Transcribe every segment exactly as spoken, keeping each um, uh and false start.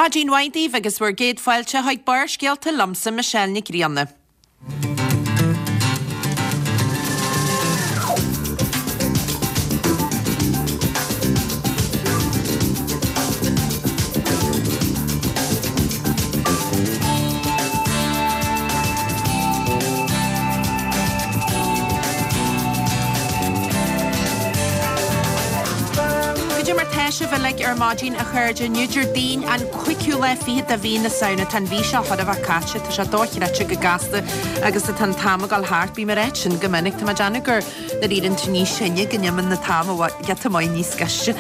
Maidin mhaith daoibh agus bhur gcéad fáilte chuig Barrscéalta liomsa Michelle Nic Grianna. Goidé mar tá sibh uilig ar maidin a chairde inniu Déardaoin an cúigiú lá fichead de mhí na Samhna tá an mhí seo chóir a bheith caite tá sé dochreidte chomh gasta agus atá an t-am ag dul thart bím ag ráit sin go minic tá mé ag déanamh gur nuair a éiríonn tú níos sine go n-imíonn an t-am giota maith níos gaiste.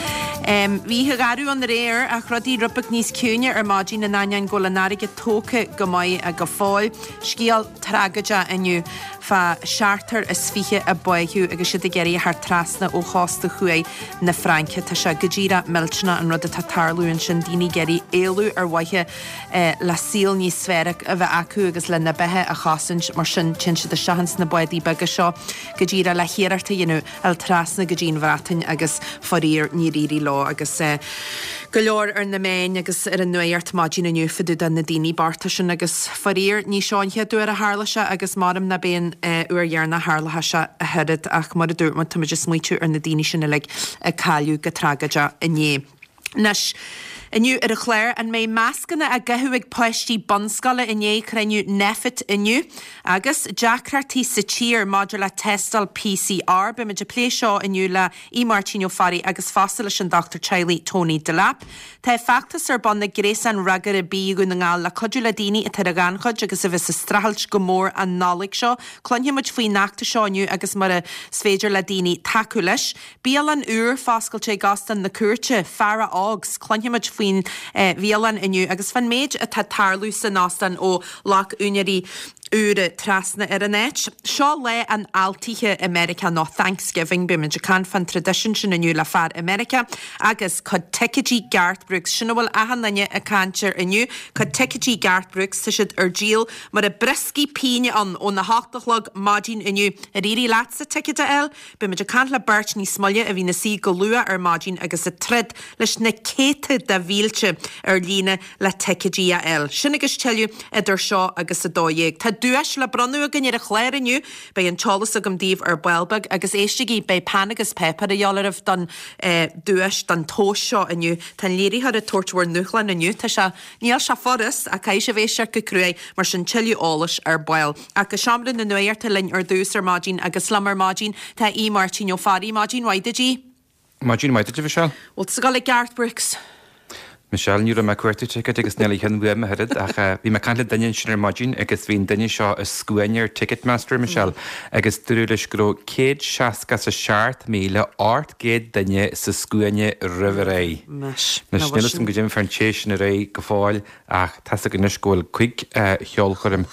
Bhí oíche gharbh ann aréir ach rudaí rud beag níos ciúine ar maidin in ainneoin go bhfuil an fharraige tógtha go maith go fóill. Scéal tragóideach inniu fá seachtar is fiche a báitheadh agus iad ag iarraidh a theacht trasna ó chósta thuaidh na Fraince. Tá sé go díreach millteanach an rud atá ag tarlú ansin, daoine ag iarraidh éalú ar mhaithe le saol níos fearr a bheith acu agus lena mbeatha a chosaint, mar sin téann siad isteach ins na bádaí beaga seo go díreach le hiarracht a dhéanamh a dhul trasna go dtí an Bhreatain agus faraor níor éirigh leo agus go leor ar na meáin agus ar an nuacht maidin inniu fá dtaobh de na daoine bochta sin agus faraor ní seo an chéad uair a tharla sé agus maram ná beidh an uair dheireanach a tharlóidh sé ach oiread ach mar a dúirt muid táimid ag smaoitiú ar na daoine sin uilig a cailleadh go tragóideach inné. Anois, inniu ar an chlár, an mbeidh mascanna á gcaitheamh ag páistí bunscoile i ndiaidh cruinniú Nphet inniu? Agus deacrachtaí sa tír maidir le tástáil PCR. Beimid ag plé seo inniu le Aodh Máirtín Ó Fearraigh agus fosta leis an dochtúir teaghlaigh Tony Delap. Tá feachtas ar bun ag Gréasán Fhreagartha Bídh Dhún na nGall le cuidiú le daoine atá ar an ghannchuid agus a bheas ag streachailt go mór an Nollaig seo. Cluinfidh muid faoin fheachtas seo inniu agus mar is féidir le daoine tacú leis. Bialann úr foscailte ag Óstán na Cúirte, Feara Ógs. Cluinfidh muid faoin bhialann inniu agus fán méid atá ag tarlú san óstán ó ghlac úinéirí úra trasna ar an áit. Seo lá an fháiltithe i Meiriceá nó Thanksgiving. Beimid ag caint fán traidisiún sin inniu le fear i Meiriceá agus cuid ticéidí Garth Brooks. Sin a bhfuil achan duine ag caint air inniu. Cuid ticéidí Garth Brooks, tá siad ar díol mar a brioscaí píne ann óna hocht a chlog maidin inniu. Ar éirigh leatsa ticéad a fháil? Beimid ag caint le beirt níos moille a bhí ina suí go luath ar maidin agus ag troid leis na céadta de mhílte ar líne le ticéidí a fháil. Sin agus tuilleadh idir seo agus a dó dhéag. Tá duais le bronnadh againn ar an chlár inniu. Beidh an t-eolas agam daoibh ar ball beag agus éistigí, beidh peann agus páipéar a dhíobháil oraibh don duais, don tomhas seo inniu. Tá an léiritheoir ag tabhairt bhur ndúshlán inniu. Tá sé, níl sé furast ach caithfidh sibh éisteacht go cruaidh, mar sin tuilleadh eolais ar ball. Ach go seomra na nuachta linn ar dtús ar maidin agus liom ar maidin tá Aodh Máirtín Ó Fearraigh. Maidin mhaith duit, Aodh. Maidin mhaith duit, a Mhichelle. Bhfuil tú ag dul ag Garth Brooks? Michelle, Ní raibh mé ag cuartú ticéid agus níl a cheann uaim ach oiread ach bhí mé ag caint le duine ansin ar maidin agus bhí an duine seo i scuaine ar Ticketmaster, Michelle, agus dúradh leis go raibh céad seasca is a seacht míle ocht gcéad duine sa scuaine roimh ré. Anois, Anois, níl a fhios agam goidé fán té sin ar aghaidh go fóill ach tá's againn anois go bhfuil cúig cheolchoirm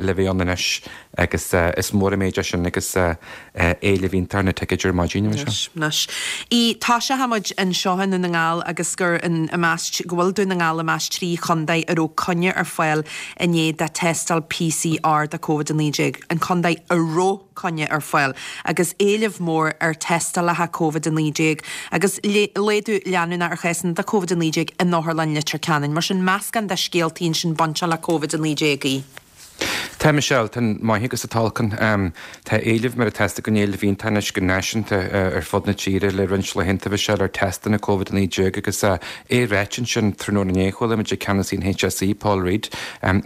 le bheith ann anois agus is mór an méid é sin agus éileamh iontach ar na ticéid ar maidin, a Mhichelle. Anois, Aodh, toiseochaidh muid anseo i nDún na nGall agus gur in, i measc, go bhfuil Dún na nGall i measc trí chontae a raibh coinne ar fáil inné do tástáil PCR do Covid a naoi déag, an contae a raibh coinne ar fáil agus éileamh mór ar tástálacha Covid a naoi déag agus laghdú leanúnach ar chásanna de Covid a naoi déag in Otharlann Leitir Ceanainn. Mar sin, meascán de scéaltaí ansin bainteach le Covid a naoi déag, Aodh. Tá, Michelle, tá an maith agus an t-olc ann. Tá éileamh, mar atá fhios againn, éileamh iontach anois go náisiúnta ar fud na tíre le roinnt laethanta, Michelle, ar testanna Covid a naoi déag agus é ráite ansin tráthnóna inné, chuala muid ag ceannasaí an HSE, Paul Reid,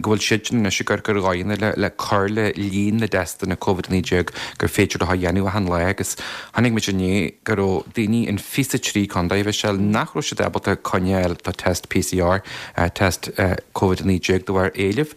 go bhfuil siadsan anois ag amharc ar dhóigheanna le le cur le líon na dtestanna Covid a naoi déag gur féidir leo a dhéanamh achan lá agus chonaic muid inné go raibh daoine in fiche trí contae, Michelle, nach raibh siad ábalta coinne a fháil do test PCR, test Covid a naoi déag de bharr éilimh.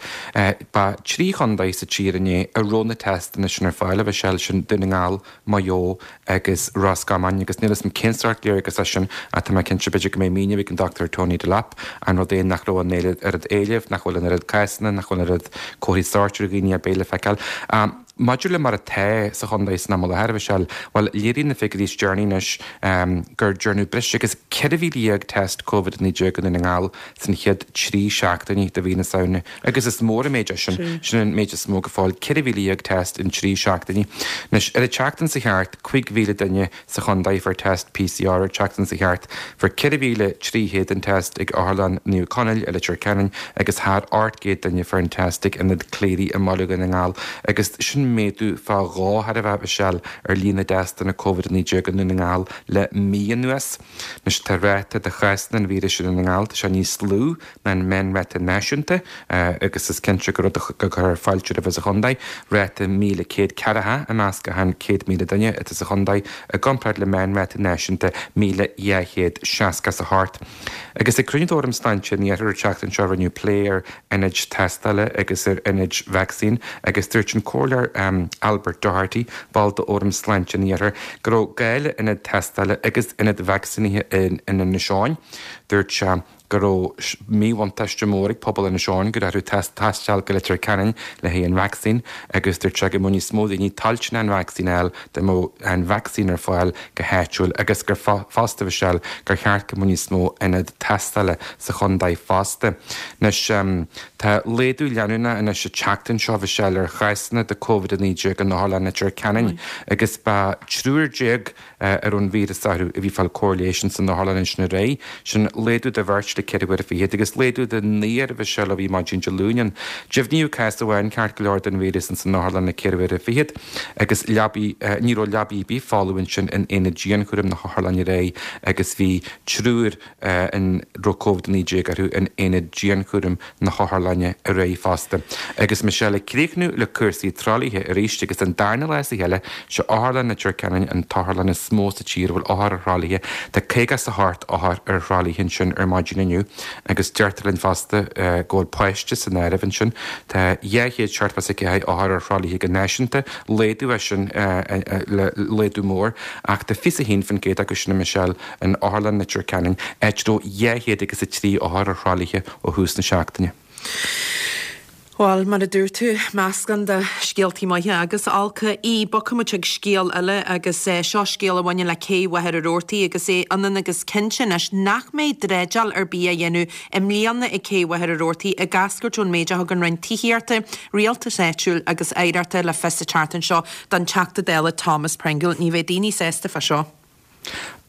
Ba trí chontae sa tír inné a raibh na testanna sin ar fáil, a Mhichelle, sin Dún na nGall, Maigh Eo agus Ros Comáin agus níl 'fhios a'm cén sórt léargas é sin ach tá mé cinnte b'fhéidir go mbeidh míniú ag an Dochtúir Tony Delap an rud é nach raibh an oiread éilimh, nach bhfuil an oiread cásanna, nach bhfuil an oiread comharthaí sóirt ar dhaoine ar bith le feiceáil. maidir le mar atá sa chontae san am i láthair, a Mhichelle, bhuel, léiríonn na figiúirí is deireanaí anois gur dearnadh breis agus ceithre mhíle dhéag test Covid a naoi déag i nDún na nGall san chéad trí seachtainí de mhí na Samhna agus is mór an méid é sin, sin an méid is mó go fóill, ceithre mhíle dhéag test in trí seachtainí. Anois, ar an tseachtain seo thart, cúig mhíle duine sa chontae fuair test P C R ar an tseachtain seo thart, fuair ceithre mhíle trí chéad an test ag Otharlann Naomh Conaill i Leitir Ceanainn agus thar ocht gcéad duine fuair an test ag Ionad Cléirigh i mBaile Dhún na nGall agus sin méadú fá dhó thar a bheith, a Mhichelle, ar líon na dtestanna Covid a naoi déag i nDún na nGall le mí anuas. Anois tá ráta de chásanna an víris i nDún na nGall, tá sé níos lú ná an meánráta náisiúnta agus is cinnte gur rud a chuirfeadh fáilte roimhe sa chontae, ráta míle céad ceathracha i measc achan céad míle duine atá sa chontae i gcomparáid le meánráta náisiúnta míle dhá chéad seasca is a hocht. Agus ag cruinniú d'Fhóram Sláinte an Iarthair an tseachtain seo rinneadh plé ar ionaid tástála agus ar ionaid vacsaín agus dúirt an Comhairleoir Albert Doherty, ball d'Fhóram Sláinte an Iarthair, go raibh gá le ionad tástála agus ionad vacsaínithe in Inis Eoghain. Dúirt sé go raibh míbhuntáiste mór ag pobal Inis Eoghain go raibh orthu taisteal go Leitir Ceanainn le haghaidh an vacsaín agus dúirt sé go mbeadh níos mó daoine toilteanach an vacsaín a fháil dá mbeadh an vacsaín ar fáil go háitiúil agus gur fosta a Mhichelle gur cheart go mbeadh níos mó ionad tástála sa chontae fosta. Anois tá laghdú leanúnach anois an tseachtain seo a Mhichelle ar chásanna de Covid a naoi déag in Otharlann Leitir Ceanainn agus ba triúr déag a raibh an víreas orthu a bhí ag fáil cóir leighis san otharlann ansin aréir, sin laghdú de bheirt le ceithre huaire fichead agus laghdú de naonúr a Mhichelle ó bhí maidin Dé Luain ann. Deimhníodh cás amháin ceart go leor den víreas san otharlann le ceithre huaire fichead agus leabaí ní raibh leabaí ar bith folamh ansin in aonad dianchúraim na hotharlainne aréir agus bhí triúr a raibh Covid a naoi déag orthu in aonad dianchúraim na hotharlainne aréir fosta. Agus Michelle ag críochnú le cúrsaí tralaithe arís agus an darna lá as a chéile sé Otharlann Leitir Ceanainn an t-otharlann is mó sa tír a bhfuil othair ar thralaithe. Tá caoga is a hocht othar ar thralaithe ansin ar maidin inniu agus deirtear linn fosta go bhfuil páiste san áireamh ansin. Tá dhá chéad seachtó is a ceathair othar ar thralaithe go náisiúnta, laghdú é sin le laghdú mór ach tá fiche a haon faoin gcéad acu sin a Michelle in Otharlann Leitir Ceanainn, áit a raibh dhá chéad agus a trí othar ar thralaithe ó thús na seachtaine. Bhuel, mar a dúirt tú, meascán de scéaltaí maithe agus olca í. Bogfaimid chuig scéal eile agus seo scéal a bhaineann le cé Mhachaire Rabhartaigh agus é ionann agus cinnte anois nach mbeidh dreideáil ar bith á dhéanamh i mbliana ag cé Mhachaire Rabhartaigh ag eascairt ón méid a thug an Roinn Tithíochta, Rialtais Áitiúil agus Oidhreachta le fios an tseachtain seo don Teachta Dála Thomas Pringle. Ní bheidh daoine sásta fá seo.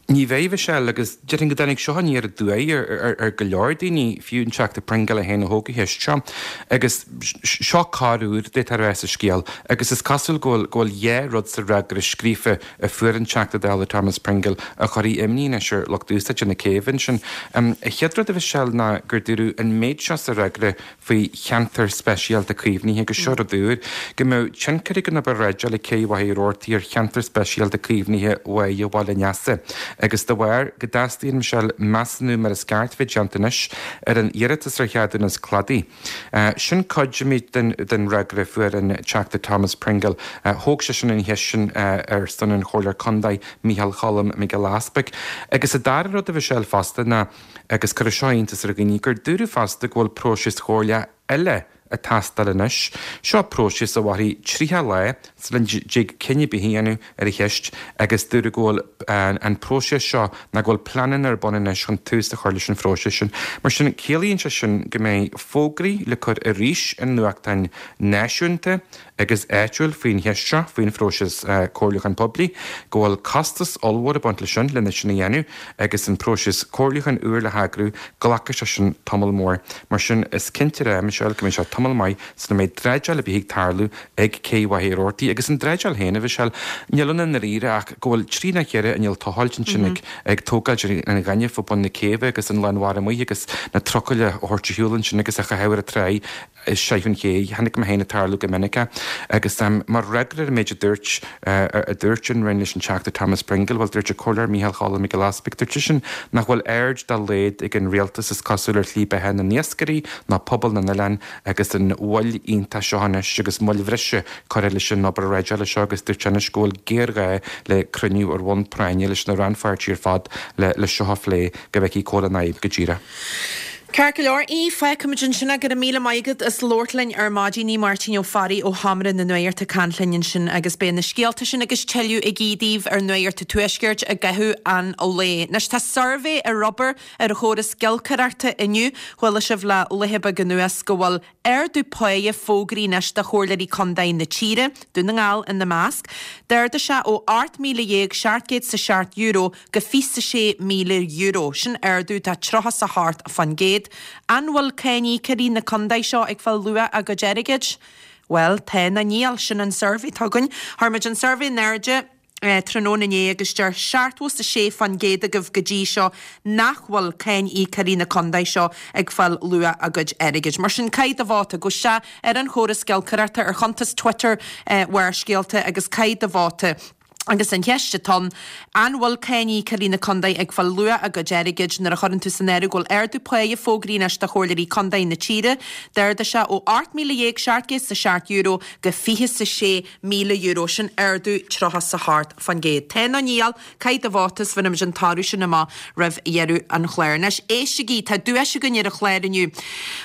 Ní bheidh, Michelle, agus déarfainn go dtáinig seo aniar aduaidh ar ar go leor daoine, fiú an Teachta Pringle é féin a thóg an cheist seo. Agus seo corruair d'fhéadfá a rá sa scéal, agus is cosúil go bhfuil go bhfuil dhá rud sa fhreagra scríofa a fuair an Teachta Dála Thomas Pringle a chuirfidh imní anois ar lucht úsáide na céibhe ansin. An chéad rud a Mhichelle ná gur dúradh an méid seo sa fhreagra faoi cheantar speisialta caomhnaithe, agus seo rud úr, go mbeadh tionchar ag an obair dreideála ag Cé Mhachaire Rabhartaigh ar cheantar speisialta caomhnaithe Bháighe Bhaile an Easa, agus de bharr go dteastaíonn, Michelle, measúnú mar is ceart bheith déanta anois ar an iarratas ar cheadúnas cladaigh. Sin cuid den den fhreagra a fuair an Teachta Thomas Pringle. Thóg seisean an cheist sin ar son an Chomhairleoir Contae Mícheál Cholm Mac Giolla Easpaig. Agus an dara rud a Mhichelle fosta ná, agus cuirfidh seo iontas ar dhaoine, gur dúradh fosta go bhfuil próiseas chomhairleach eile ag teastáil anois. Seo próiseas a mhairfidh tríocha lá sula dtig cinneadh ar bith a dhéanamh ar an cheist agus dúradh go bhfuil an próiseas seo ná go bhfuil pleananna ar bun anois chun tús a chur leis an phróiseas sin. Mar sin, ciallaíonn sé sin go mbeidh fógraí le cur arís i nuachtáin náisiúnta agus áitiúil faoin cheist seo, faoin phróiseas comhairliúcháin poiblí, go bhfuil costas ollmhór ag baint leis sin, lena sin a dhéanamh, agus an próiseas comhairliúcháin úr le heagrú, glacfaidh sé sin tamall mór. Mar sin, is cinnte a rá, Michelle, go mbeidh sé tamall maith sula mbeidh dreideáil ar bith ag tarlú ag Cé Mhachaire Rabhartaigh. Agus an dreideáil féin, a Mhichelle, níl ann i ndáiríre ach go bhfuil trí nó ceithre inneall tochailt ansin ag ag tógáilt an ghainimh fá bun na céibhe agus an lán mhara amuigh agus na trucail a thabhairt ar shiúl ansin agus a chaitheamh ar an tráigh istigh an ché. Chonaic mé féin ag tarlú go minic é. Agus mar fhreagra ar an méid a dúirt a dúirt an Roinn leis an Teachta Thomas Pringle, bhuel, dúirt an Comhairleoir Mícheál Cholm Mac Giolla Easpaig, dúirt seisean nach bhfuil aird dá laghad ag an rialtas is cosúil ar shlí beatha na n-iascairí ná pobal na n-oileán agus an mhoill iontach seo anois agus moill bhreise curtha leis an obair dhreideála seo agus dúirt sé anois go bhfuil géarghá le cruinniú ar bhonn práinne leis na rannpháirtithe ar fad le le seo a phlé go bhfeicfí cá bhfuil an fhadhb go díreach. Ceart go leor, í, fágfaimid ansin é. Go raibh míle maith agat as labhairt linn ar maidin. Í Máirtín Ó Fearraigh ó Sheomra na Nuachta ag caint linn ansin agus beidh na scéalta sin agus tuilleadh ag Í daoibh ar Nuacht an Tuaiscirt i gcaitheamh an lae. Anois tá suirbhé ar obair ar an chóras giolcaireachta inniu. Chuala sibh le laetha beaga anuas go bhfuil ardú páighe fógraithe anois do chomhairleoirí contae na tíre, Dún na nGall ina measc. D'ardaigh sé ó ocht míle dhéag seacht gcéad 's a seacht euro go fiche 's a sé míle euro. Sin ardú de tríocha 's a hocht fán gcéad. An bhfuil cáiníocóirí na contae seo ag fáil luach a gcuid airgid? Bhuel, tá nó níl. Sin an suirbhé atá againn. Chuir muid an suirbhé in airde tráthnóna inné agus deir seachtó 's a sé fán gcéad agaibh go dtí seo nach bhfuil cáiníocóirí na contae seo ag fáil luach a gcuid airgid. Mar sin, caith do vóta. Gabh isteach ar an chóras giolcaireachta ar chuntas Twitter Bharrscéalta agus caith do vóta. Agus an cheist atá ann, an bhfuil cáiníocóirí na contae ag fáil luach a gcuid airgid nuair a chuireann tú san áireamh go bhfuil ardú páighe fógraithe anois do chomhairleoirí contae na tíre? D'ardaigh sé ó ocht míle dhéag seacht gcéad 's a seacht euro go fiche 's a sé míle euro, sin ardú tríocha 's a hocht fán gcéad. Tá nó níl, caith do vóta is bhéarfaimid an toradh sin amach roimh dheireadh an chláir. Anois, éistigí, tá duais againn ar an chlár inniu.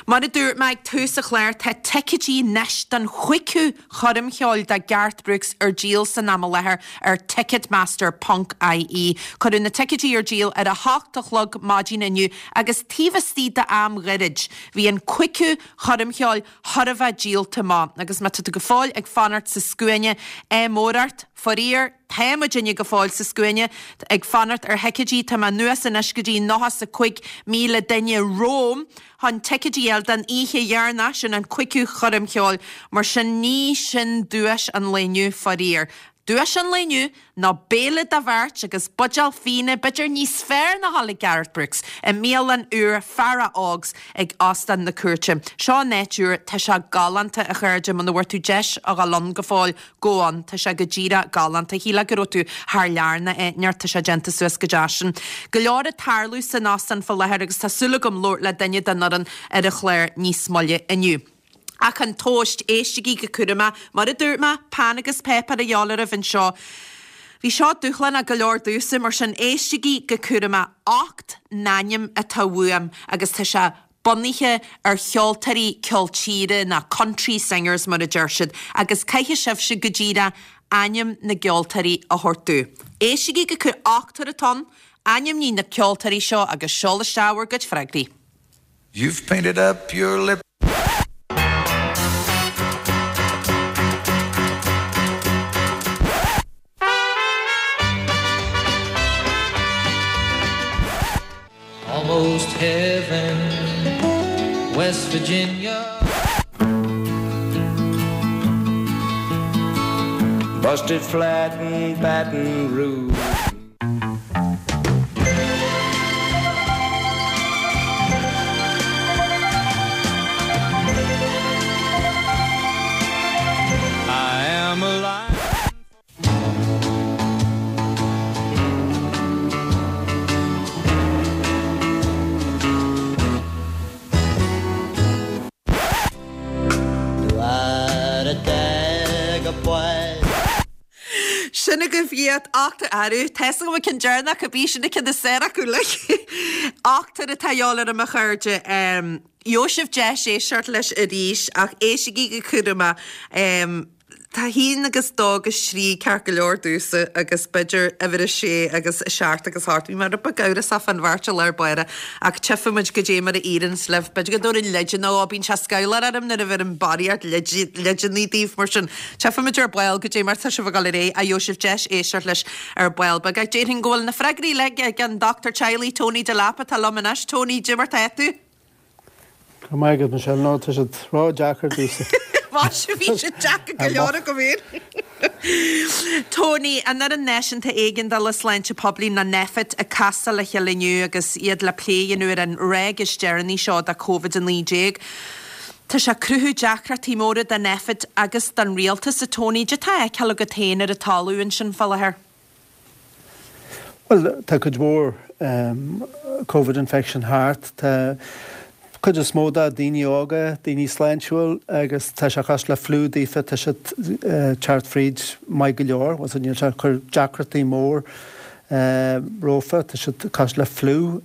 Mar a dúirt mé ag tús an chláir, tá ticéidí anois don chúigiú choirm cheoil de Garth Brooks ar díol san am i láthair ar Ticketmaster ponc ie. Cuireadh na ticéidí ar díol ar a hocht a chlog maidin inniu agus taobh istigh d'am gairid bhí an cúigiú choirm cheoil chóir a bheith díolta amach agus má tá tú go fóill ag fanacht sa scuaine, ádh mór ort, faraor, tá muidinne go fóill sa scuaine ag fanacht ar thicéidí, tá mé anuas anois go dtí nócha 's a cúig míle duine romham chun ticéidí a fháil don oíche dheireanach, sin an cúigiú choirm cheoil, mar sin ní sin duais an lae inniu, faraor. Duais an lae inniu ná béile do bheirt agus buidéal fíona, b'fhéidir níos fearr ná dhul ag Garth Brooks, i mbialann úr Feara Ógs ag Óstán na Cúirte. Seo an áit úr, tá sé galánta, a chairde, muna bhfuair tú deis a dhul ann go fóill, gabh ann, tá sé go díreach galánta. Shílfeá go raibh tú thar lear nó áit inteacht, tá sé déanta suas go deas sin. Go leor ag tarlú san óstán fá láthair agus tá súil agam labhairt le duine den fhoireann ar an chlár níos moille inniu. Ach an tomhas, éistigí go cúramach, mar a dúirt mé, peann agus páipéar a dhíobháil oraibh anseo. Bhí seo dúshlánach go leor domhsa, mar sin éistigí go cúramach. Ocht n-ainm atá uaim agus tá sé bunaithe ar cheoltóirí ceol tíre nó country singers mar a deir siad, agus caithfidh sibhse go díreach ainm na gceoltóirí a thabhairt domh. Éistigí go cúramach, ochtar atá ann, ainmnigh na ceoltóirí seo agus seol isteach bhur gcuid freagraí. You've painted up your lip. Almost heaven, West Virginia. Busted flat in Baton Rouge. I am alive. Sin agaibh iad, ochtar, arú, tá 'fhios agam an ceann deireanach a bhí, sin an ceann is fearr acu uilig. Ochtar atá a dhíobháil orm a chairde. Gheobhaidh sibh deis éisteacht leis arís ach éistigí go cúramach. Tá a haon agus dó agus trí ceart go leor domhsa agus b'fhéidir uimhir a sé agus a seacht agus a hocht. Bhí mé rud beag amhrasach fán bheirt i lár báire ach tchífidh muid goidé mar a éiríonns libh. B'fhéidir go dtabharfainn leideanna ó bíonn sé scamhlach orm nuair a bheirim barraíocht leideanna daoibh mar sin tchífidh muid ar ball goidé mar tá sibh ag dul ar aghaidh ach gheobhaidh sibh deis éisteacht leis ar ball beag. Ach déarfainn go bhfuil na freagraí uilig ag an dochtúir teaghlaigh Tony Delap atá liom anois. Tony, goidé mar tá tú? Go raibh maith agat, Michelle. No, tá siad ró-deacair domhsa. Mhaise, bhí siad deacair go leor agam féin. Tony, an Fhoireann Náisiúnta Éigeandála Sláinte Poiblí nó Nphet ag casadh le chéile inniu agus iad le plé a dhéanamh ar an ráig is deireanaí seo de Covid a naoi déag. Tá sé ag cruthú deacrachtaí móra do Nphet agus don rialtas, a Tony. Cad é atá á fheiceáil agat féin ar an talamh ansin fá láthair? Bhuel, tá cuid mhór Covid infection thart. Tá cuid is mó de daoine óga, daoine sláintiúil agus tá sé cosúil le flu daofa, tá siad teacht fríd maith go leor, bhuel, níl sé ag cur deacrachtaí mór rófa, tá siad cosúil le fliú,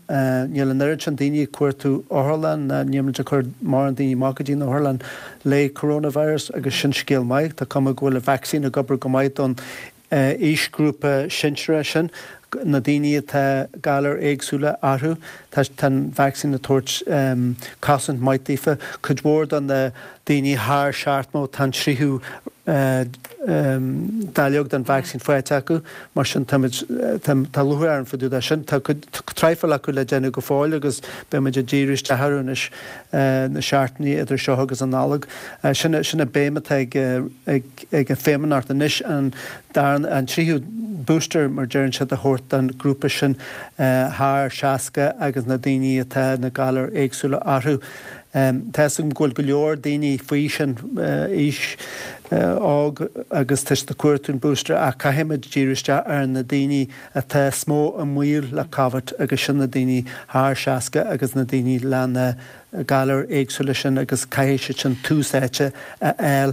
níl an oiread sin daoine ag cuartú otharlann, níl muid ag cur mórán daoine amach go dtí an otharlann le coronavirus agus sin scéal maith, tá cuma go bhfuil an vacsaín ag obair go maith don aoisghrúpa sinsearach sin, na daoine atá galair éagsúla orthu, tá an vacsaín ag tabhairt cosaint maith daofa. Cuid mhór de na daoine thar seachtó, tá an tríú dáileog den vacsaín faighte acu, mar sin táimid, tá lúcháir orainn fá dtaobh de sin. Tá cuid traidhfil acu le déanamh go fóill agus beidh muid ag díriú isteach orthu anois na seachtainí idir seo agus an Nollaig. Sin an béim atá ag ag an Feidhmeannacht anois, an darna, an tríú booster mar deireann siad a thabhairt don ghrúpa sin thar seasca agus na daoine atá na galair éagsúla orthu. Tá a fhios agam go bhfuil go leor daoine faoi sin aois óg agus tá siad ag cuartú an booster ach caithfimid díriú isteach ar na daoine atá is mó i mbaol le Covid agus sin na daoine thar seasca agus na daoine le na galair éagsúla sin agus caithfidh siad sin tús áite a fháil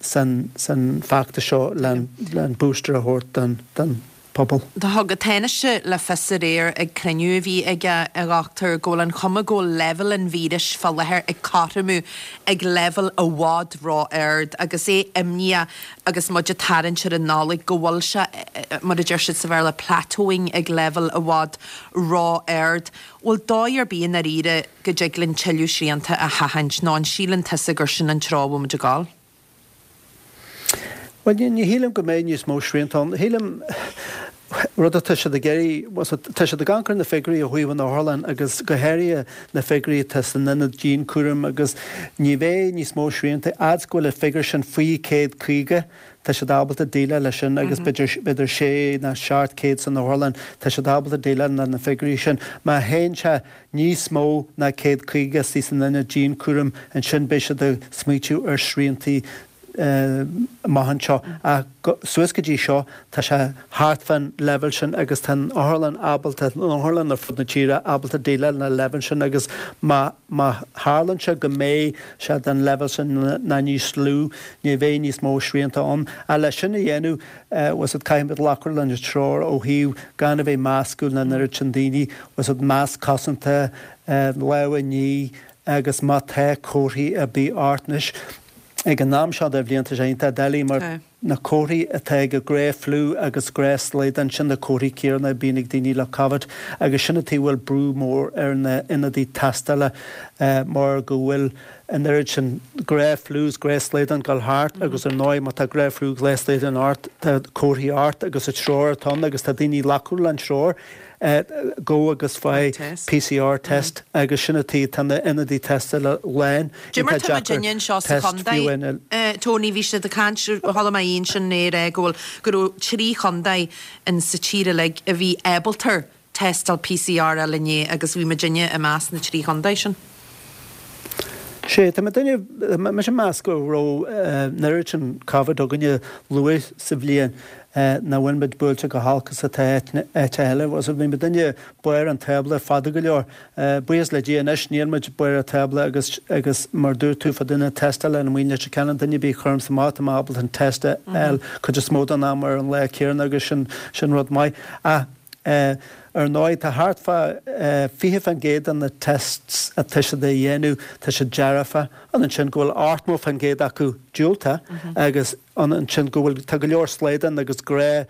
san san feachtas seo le an booster a thabhairt don don pobal. Do thug an Tánaiste le fios aréir ag cruinniú a bhí aige, a dhochtúir, go bhfuil an chuma go bhfuil leibhéal an víris fá láthair ag cothromú ag leibhéal i bhfad ró-ard agus é imníoch agus muid ag tarraingt ar an Nollaig go bhfuil sé, mar a deir siad sa Bhéarla, plateauing ag leibhéal i bhfad ró-ard. Bhfuil dóigh ar bith i ndáiríre go dtig linn tuilleadh srianta a sheachaint nó an síleann tusa gur sin an treo a bhfuil muid ag dul? Bhuel, ní shílim go mbeidh níos mó srianta ann. Shílim rud atá siad ag iarraidh, tá siad ag amharc ar na figiúirí ó thaobh an otharlann agus go háirithe na figiúirí atá san ionad dianchúraim agus ní bheidh níos mó srianta, fhad is go bhfuil an figiúr sin faoi céad caoga, tá siad ábalta déileáil leis sin agus b'fhéidir b'fhéidir sé nó seacht céad san otharlann, tá siad ábalta déileáil le na figiúirí sin. Má théann sé níos mó ná céad caoga istigh san ionad dianchúraim, ansin beidh siad ag smaoitiú ar shriantaí amach anseo. Ach suas go dtí seo, tá sé thart fán leibhéal sin agus tá an otharlann ábalta, an otharlann ar fud na tíre ábalta déileáil le leibhéal sin agus má má tharlaíonn sé go mbeidh sé den leibhéal sin nó níos lú, ní bheidh níos mó srianta ann. Ach leis sin a dhéanamh, bhfuil fhios caithfimid glacadh leis an treoir ó thaobh gan a bheith meascadh le an oiread sin daoine, bhfuil fhios masc cosanta, lámha a ní agus má tá comharthaí ar bith ort anois, Ag an am seo den bhliain tá sé iontach doiligh mar na comharthaí atá ag an gnáth-fhliú agus gnáth-slaghdán, sin na comharthaí céanna a bíonn ag daoine le Covid agus sin an tuige a bhfuil brú mór ar na ionadaí tástála mar go bhfuil an oiread sin gnáth-fhliú is gnáth-slaghdán ag dul thart agus ar ndóigh má tá gnáth-fhliú gnáth-slaghdán ort tá comharthaí ort agus an treoir atá ann agus tá daoine ag glacadh leis an treoir. Gabh agus faigh PCR test agus sin an tuige tá na ionadaí tástála lán. Cad é mar tá muidinne anseo sa chontae, Tony, bhí siad ag caint, chuala mé Ian sin ag rá go bhfuil, go raibh trí chontae in sa tír uilig a bhí ábalta tástáil PCR a fháil inné agus bhí muidinne i measc na trí chontae sin. Sea, tá muidinne, mise ag meas go raibh an oiread sin Covid againne luath sa bhliain nach bhfuil muid buailte chomh holc is atá áiteacha eile. Bhí muidinne barr an tábla fada go leor. Buíochas le Dia anois níl muid barr an tábla agus agus mar dúirt tú fá dtaobh na tástála an maoin Leitir Ceanainn duine ar bith a chuirimse amach tá mé ábalta an test a fháil cuid is mó den am ar an lá céanna agus sin sin rud maith. Ach Ar ndóigh, tá thart fá fiche fán gcéad de na tests atá siad a dhéanamh, tá siad dearfa, ionann sin go bhfuil ochtó fán gcéad acu diúltach agus ionann sin go bhfuil, tá go leor slaghdán agus gnáth,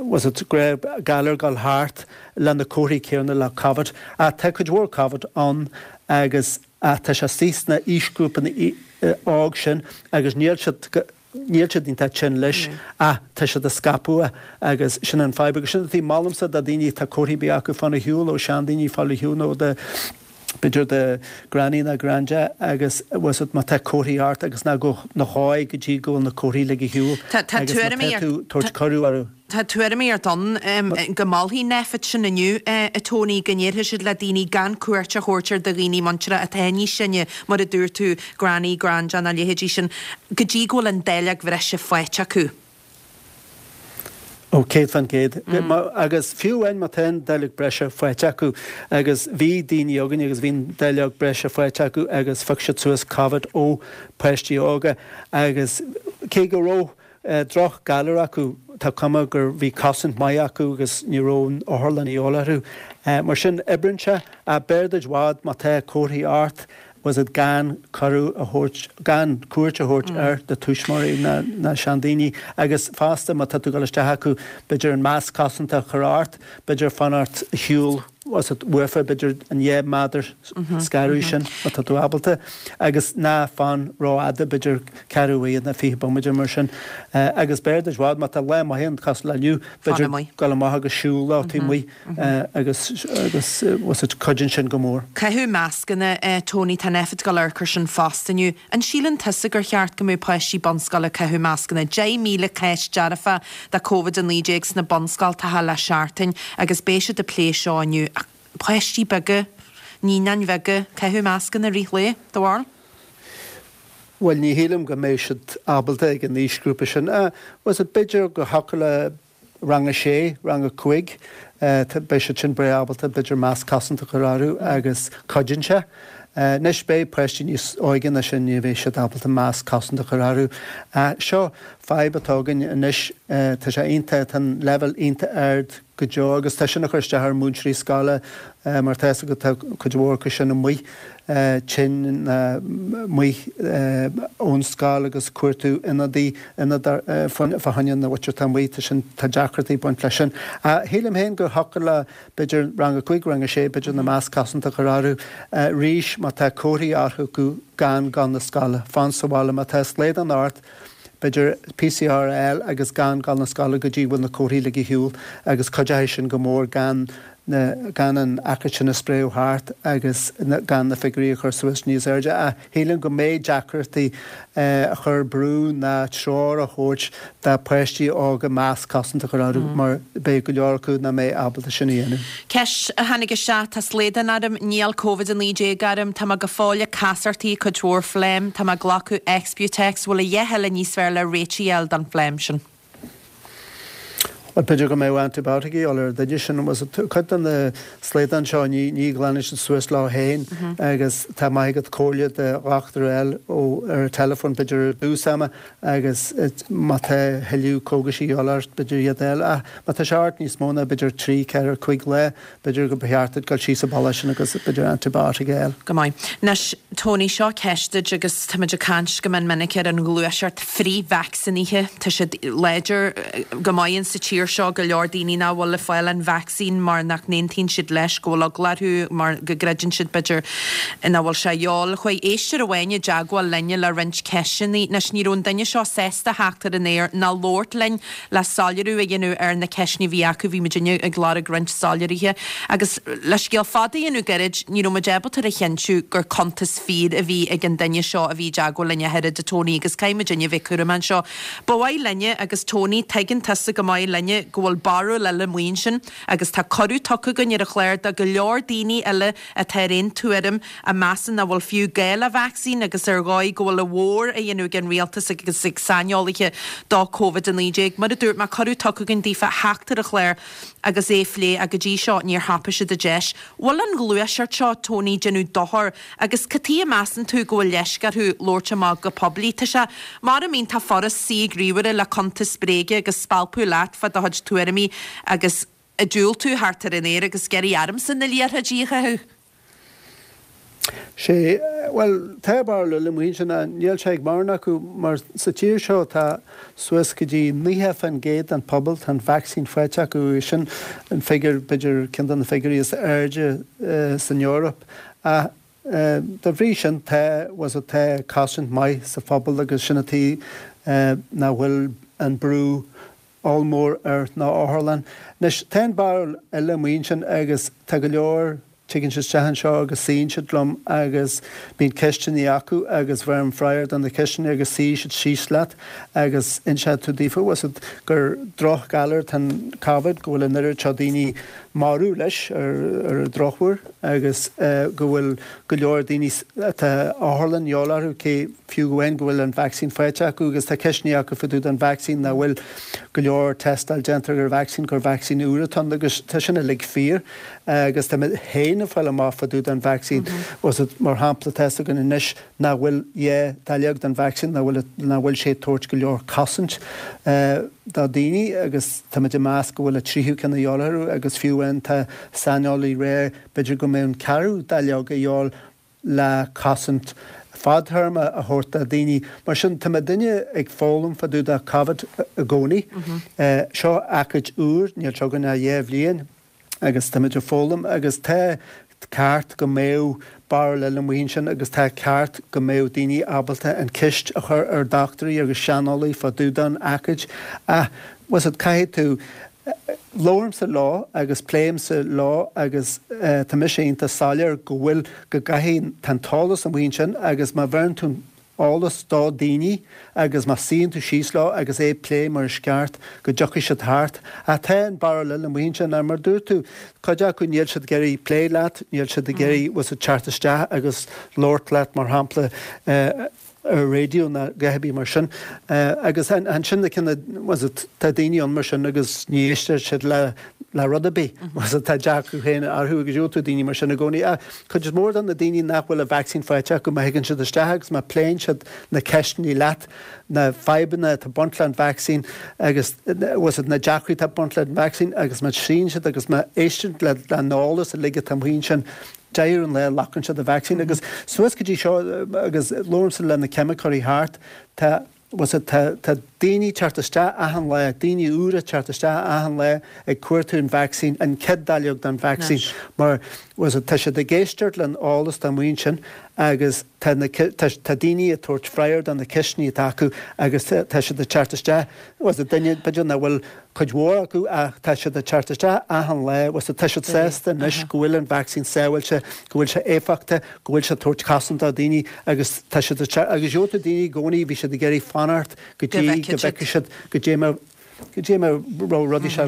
was it, gnáth galar ag dul thart le na comharthaí céanna le Covid. Ach tá cuid mhór Covid ann agus ach tá sé istigh sna aoisghrúpanna óg sin agus níl siad, Níl siad iontach tinn leis ach tá siad ag scaipeadh agus sin an fadhb. Agus sin an tuige, molaimse do daoine atá comharthaí ar bith acu fáil ar shiúl ó seandaoine fáil ar shiúl nó do b'fhéidir do granny nó granda agus bhfuil fhios agat má tá comharthaí ort agus ná gabh ná gabh go dtí go bhfuil na comharthaí ligthe ar shiúl Tá tá agus má tuairimí tá ar tú tabhairt cuireadh orthu. Tá tuairimí ort ann go molfaidh Nphet sin inniu, a Tony, go ndéarfaidh siad le daoine gan cuairt a thabhairt ar do dhaoine muinteartha atá níos sine, mar a dúirt tú, granny, granda nó a leithéidí sin, go dtí go bhfuil an dáileog bhreise faighte acu. Ó, céad fán gcéad. Agus fiú amháin má tá an dáileog breise faighte acu, agus bhí daoine againn agus bhí an dáileog breise faighte acu agus phioc siad suas Covid ó pháistí óga agus cé go raibh droch-ghalar acu, tá cuma gur bhí cosaint maith acu agus ní raibh an otharlann a dhíobháil orthu. Mar sin, oibríonn sé, ach b'fhearr duit i bhfad má tá comharthaí ort, bhfuil a fhios agat gan cuireadh a thabhairt, gan cuairt a thabhairt ar do tuismitheoirí ná na seandaoine agus fosta má tá tú ag dul isteach acu, b'fhéidir an masc cosanta a chur ort, b'fhéidir fanacht ar shiúl uafa, b'fhéidir an dheich méadar scaradh sin má tá tú ábalta, agus ná fan rófhada, b'fhéidir ceathrú uaire nó fiche bomaite mar sin. Agus b'fhearr duit i bhfad má tá lá maith ann cosúil le inniu, b'fhéidir dul amach agus siúl leo taobh amuigh agus agus bhfuil a fhios agat cuidíonn sin go mór. Caitheamh mascanna, Tony, tá an oifig ag dul ar cur sin fosta inniu. An síleann tusa gur cheart go mbeadh páistí bunscoile ag caitheamh mascanna? Deich míle cás dearfa de Covid a naoi déag sna bunscoltacha le seachtain agus beidh siad ag plé seo inniu. Ach páistí beaga, naíonáin bheaga, caitheamh mascanna i rith lae, do bharúil? Bhuel, ní shílim go mbeidh siad ábalta ag an aoisghrúpa sin. Bhfuil a fhios agat, b'fhéidir go thiocfadh le rang a sé, rang a cúig, beidh siad sin breá ábalta b'fhéidir masc cosanta a chur orthu agus cuidíonn sé. Anois beidh páistí níos óige ná sin, ní bheidh siad ábalta masc cosanta a chur orthu. Seo fadhb atá againn anois, tá sé iontach, tá an leibhéal iontach ard go deo agus tá sin ag cur isteach ar mhúinteoirí scoile mar tá a fhios agat tá cuid mhór acu sin amuigh tinn ná amuigh ón scoil agus cuartú ionadaí ionad fá choinne na mhuintir atá amuigh tá sin tá deacrachtaí ag baint leis sin. Shílim féin go thiocfadh le b'fhéidir rang a cúig, rang a sé, b'fhéidir na masc cosanta a chur orthu arís má tá comharthaí orthu gan gabháil na scoile, fan sa bhaile má tá slaghdán ort, b'fhéidir PCR a fháil agus gan gabháil na scoile go dtí go bhfuil na comharthaí uilig ar shiúl agus cuideoidh sin go mór gan na, gan an achar sin a spréadh thart agus gan na figiúirí a chur suas níos airde. Ach shílim go mbeidh deacrachtaí a chur brú ná treoir a thabhairt do pháistí óga masc cosanta a chur orthu mar beidh go leor acu nach mbeidh ábalta sin a dhéanamh. Ceist a tháinig isteach, tá slaghdán orm, níl Covid a naoi déag orm, tá mé go fóill ag casartaí cuid mhór phleim, tá mé ag glacadh Exbutex, bhfuil a dhath eile níos fearr le réitigh a fháil don phleim sin? Bhuel, b'fhéidir go mbeadh antibiotic a dhíobháil ar an duine sin. Cuid de na slaghdán seo, ní ní ghlanann siad suas leo féin agus tá maith agat comhairle do dhochtúir a fháil ó ar an teileafón b'fhéidir ar dtús ama agus má tá thuilleadh cógais a dhíobháil ort b'fhéidir iad a fháil. Ach má tá sé ort níos mó ná b'fhéidir trí, ceathair, cúig lá, b'fhéidir go ba cheart duit dul síos an bealach sin agus b'fhéidir antibiotic a fháil. Go maith. Anois, Tony, seo ceist duit agus táimid ag caint go mion minic ar an ghluaiseacht frith-vacsaínithe. Tá siad láidir go maith insa tír seo, go leor daoine nach bhfuil ag fáil an vacsaín mar nach n-aontaíonn siad leis, go bhfuil eagla orthu, mar go gcreideann siad, b'fhéidir, nach bhfuil sé a dhíobháil. Chuaigh éisteoir amháin i dteagmháil linne le roinnt ceisteanna. Anois, ní raibh an duine seo sásta theacht ar an aer ná labhairt linn le soiléiriú a dhéanamh ar na ceisteanna a bhí acu. Bhí muidinne ag lorg roinnt soiléirithe. Agus le scéal fada a dhéanamh gairid, ní raibh muid ábalta a chinntiú gur cuntas fíor a bhí ag an duine seo a bhí i dteagmháil linn a oiread, a Tony, agus caithfidh muidinne a bheith cúramach anseo. Ba mhaith linne, agus Tony, tuigeann tusa go maith linne go bhfuil barúil eile amuigh ansin agus tá cuireadh tugtha againn ar an chlár do go leor daoine eile atá ar aon tuairim, a measann nach bhfuil fiú gá le vacsaín agus ar dhóigh go bhfuil a mhór á dhéanamh ag an rialtas agus ag saineolaithe do Covid a naoi déag. Mar a dúirt mé, cuireadh tugtha againn daofa theacht ar an chlár agus é a phlé ach go dtí seo níor thapaigh siad an deis. Bhfuil an ghluaiseacht seo, Tony, déanamh dochar agus cad chuige a measann tú go bhfuil leisce orthu labhairt amach go poiblí? Tá sé mar a bheadh furast suí ag ríomhaire le cuntas bréige agus spalpadh leat fá do chuid tuairimí agus ag diúltú thart ar an aer agus ag iarraidh ormsa na liathróidí a chaitheamh. Sé, bhuel, tá barúil eile amuigh ansin, níl sé ag mórán acu mar sa tír seo tá suas go dtí naocha faoin gcéad den pobal, tá an vacsaín faighte acu, sin an figiúr, b'fhéidir ceann de na figiúirí is airde san Eoraip. Ach dá bhrí sin tá, bhfuil a fhios agat, tá cosaint maith sa phobal agus sin an tuige nach bhfuil an brú ollmhór ar na otharlanna. Anois, tá an barúil eile amuigh ansin agus tá go leor, tigeann siad isteach anseo agus suíonn siad liom agus bíonn ceisteanna acu agus bheirim freagra do na ceisteanna agus suífidh siad síos leat agus inseoidh tú daofa, bhfuil a fhios agat, gur drochghalar atá in Covid, go bhfuil an oiread seo daoine marbh leis ar ar an drochuair agus go bhfuil go leor daoine atá otharlann a dhíobháil orthu, cé fiú amháin go bhfuil an vacsaín faighte acu agus tá ceisteanna acu fá dtaobh den vacsaín, nach bhfuil go leor tástáil déanta ar an vacsaín, gur vacsaín úr atá ann agus tá sin uilig fíor. Agus tá mé féin éinne fáil amach fá dtaobh den vaccine. Was it mar shampla tá fhios againn anois nach bhfuil dhá dáileog den vaccine nach bhfuil nach bhfuil sé ag tabhairt go leor cosaint do daoine agus táimid ag meas go bhfuil an tríú ceann a dhíobháil orthu agus fiú amháin tá saineolaí ag rá b'fhéidir go mbeidh an ceathrú dáileog a dhíobháil le cosaint fadthéarma a thabhairt do daoine. Mar sin tá muidinne ag foghlaim fá dtaobh de Covid i gcónaí. Seo aicíd úr, níl sé againn ach dhá bhliain agus táimid ag foghlaim agus tá ceart go mbeadh barúil eile amuigh ansin agus tá ceart go mbeadh daoine ábalta an ceist a chur ar dochtúirí agus saineolaí fá dtaobh den aicíd. Ach, was it, caithfidh tú Labhraímse leo agus pléimse leo agus tá mise iontach soiléir go bhfuil, go gcaithfidh, tá an t-eolas amuigh ansin agus má bheireann tú an eolas do daoine agus má suíonn tú síos leo agus é plé mar is ceart go dtiocfaidh siad thart. Ach tá an barúil eile amuigh ansin mar mar dúirt tú, cuid acu níl siad ag iarraidh plé leat, níl siad ag iarraidh, bhfuil 's agat, teacht isteach agus labhairt leat mar shampla, ar raidió ná a dhath ar bith mar sin. Agus ansin na cinn, was it, tá daoine ann mar sin agus ní éistear siad le le rud ar bith. Was it, tá dearcadh féin orthu agus gheobhaidh tú daoine mar sin i gcónaí. Ach cuid is mór de na daoine nach bhfuil an vacsaín faighte acu, má thigeann siad isteach agus má pléann siad na ceisteanna leat, na fadhbanna atá ag baint leis an vacsaín agus was it, na deacrachtaí atá ag baint leis an vacsaín agus má suíonn siad agus má éisteann le an eolas uilig atá amuigh ansin, deireadh an lae glacann siad an vacsaín agus suas go dtí seo agus labhraímse le na ceimiceoirí thart tá was it tá tá daoine teacht isteach achan lá, daoine úra teacht isteach achan lá ag cuartú an vacsaín, an chéad dáileog den vacsaín mar was it tá siad ag éisteacht len eolas atá amuigh ansin agus tá na tá tá daoine ag tabhairt freagra do na ceisteanna atá acu agus tá siad ag teacht isteach was it duine b'fhéidir nach bhfuil cuid mhór acu ach tá siad ag teacht isteach achan lá was it tá siad sásta anois go bhfuil an vacsaín sábháilte, go bhfuil sé éifeachtach, go bhfuil sé ag tabhairt cosaint do daoine agus tá siad ag teacht agus gheobhaidh tú daoine i gcónaí bhí siad ag iarraidh fanacht go dtí go bhfeicfidh siad goidé mar goidé mar raibh rudaí sé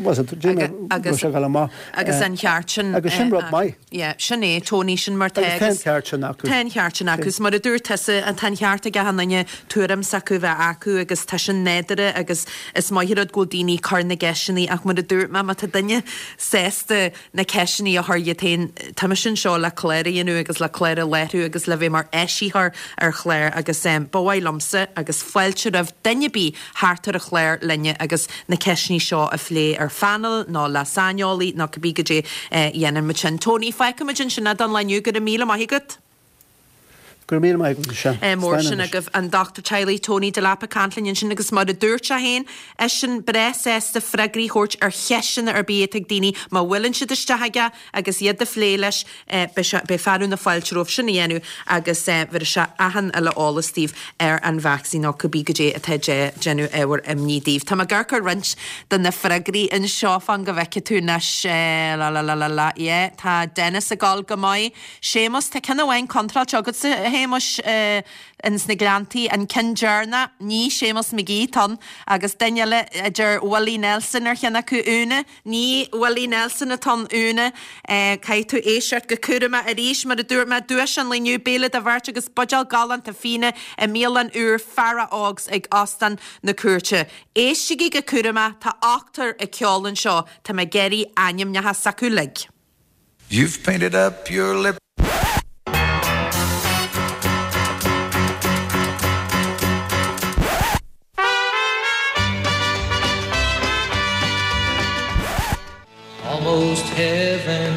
was it goidé mar raibh sé ag dul amach. Agus an ceart sin Agus sin rud maith. Yeah, sin é, Tony, sin mar tá Agus tá an ceart sin acu. Tá an ceart sin acu. Is mar a dúirt tusa, tá an ceart ag achan duine tuairim s'acu bheith acu agus tá sin nádúrtha agus is maith an rud go bhfuil daoine ag cur na gceisteanna ach mar a dúirt mé, má tá duine sásta na ceisteanna a chur iad féin, tá mise anseo le clár a dhéanamh agus le clár a láithriú agus le bheith mar eisitheoir ar chlár agus ba mhaith liomsa agus fáilte roimh duine ar bith theacht ar an chlár linne agus na ceisteanna seo a phlé ar phainéal nó le saineolaí nó cibé goidé a dhéanann muid sin. Tony, fágfaimid ansin é don lá inniu. Go raibh míle maith agat. Go raibh míle maith agat, Michelle. Mór sin agaibh an dochtúir teaghlaigh Tony Delap ag caint linn ansin agus mar a dúirt sé féin, eisean breá sásta freagraí a thabhairt ar cheisteanna ar bith atá ag daoine má bhuaileann siad isteach aige agus iad a phlé leis. Beidh sé, beidh fearadh na fáilte rompu sin a dhéanamh agus bhéarfaidh sé achan uile eolas daoibh ar an vacsaín nó cibé goidé atá ag déanamh ábhar imní daoibh. Tá mé ag amharc ar roinnt de na freagraí anseo, fan go bhfeicfidh tú anois, la la la la la, yeah, tá Dennis ag gabháil go maith. Séamus, tá ceann amháin contráilte agatsa, a Shéamuis, ins na Gleanntaí, an ceann deireanach, ní Séamus McGee atá ann, agus duine eile a deir Willie Nelson ar cheann acu, Úna, ní Willie Nelson atá ann, Úna, caithfidh tú éisteacht go cúramach arís, mar a dúirt mé, duais an lae inniu, béile do bheirt agus buidéal galánta fíona i mbialann úr Feara Ógs ag Óstán na Cúirte. Éistigí go cúramach, tá ochtar ag ceol anseo, tá mé ag iarraidh ainmneacha s'acu uilig. You've painted up your lip. Almost heaven,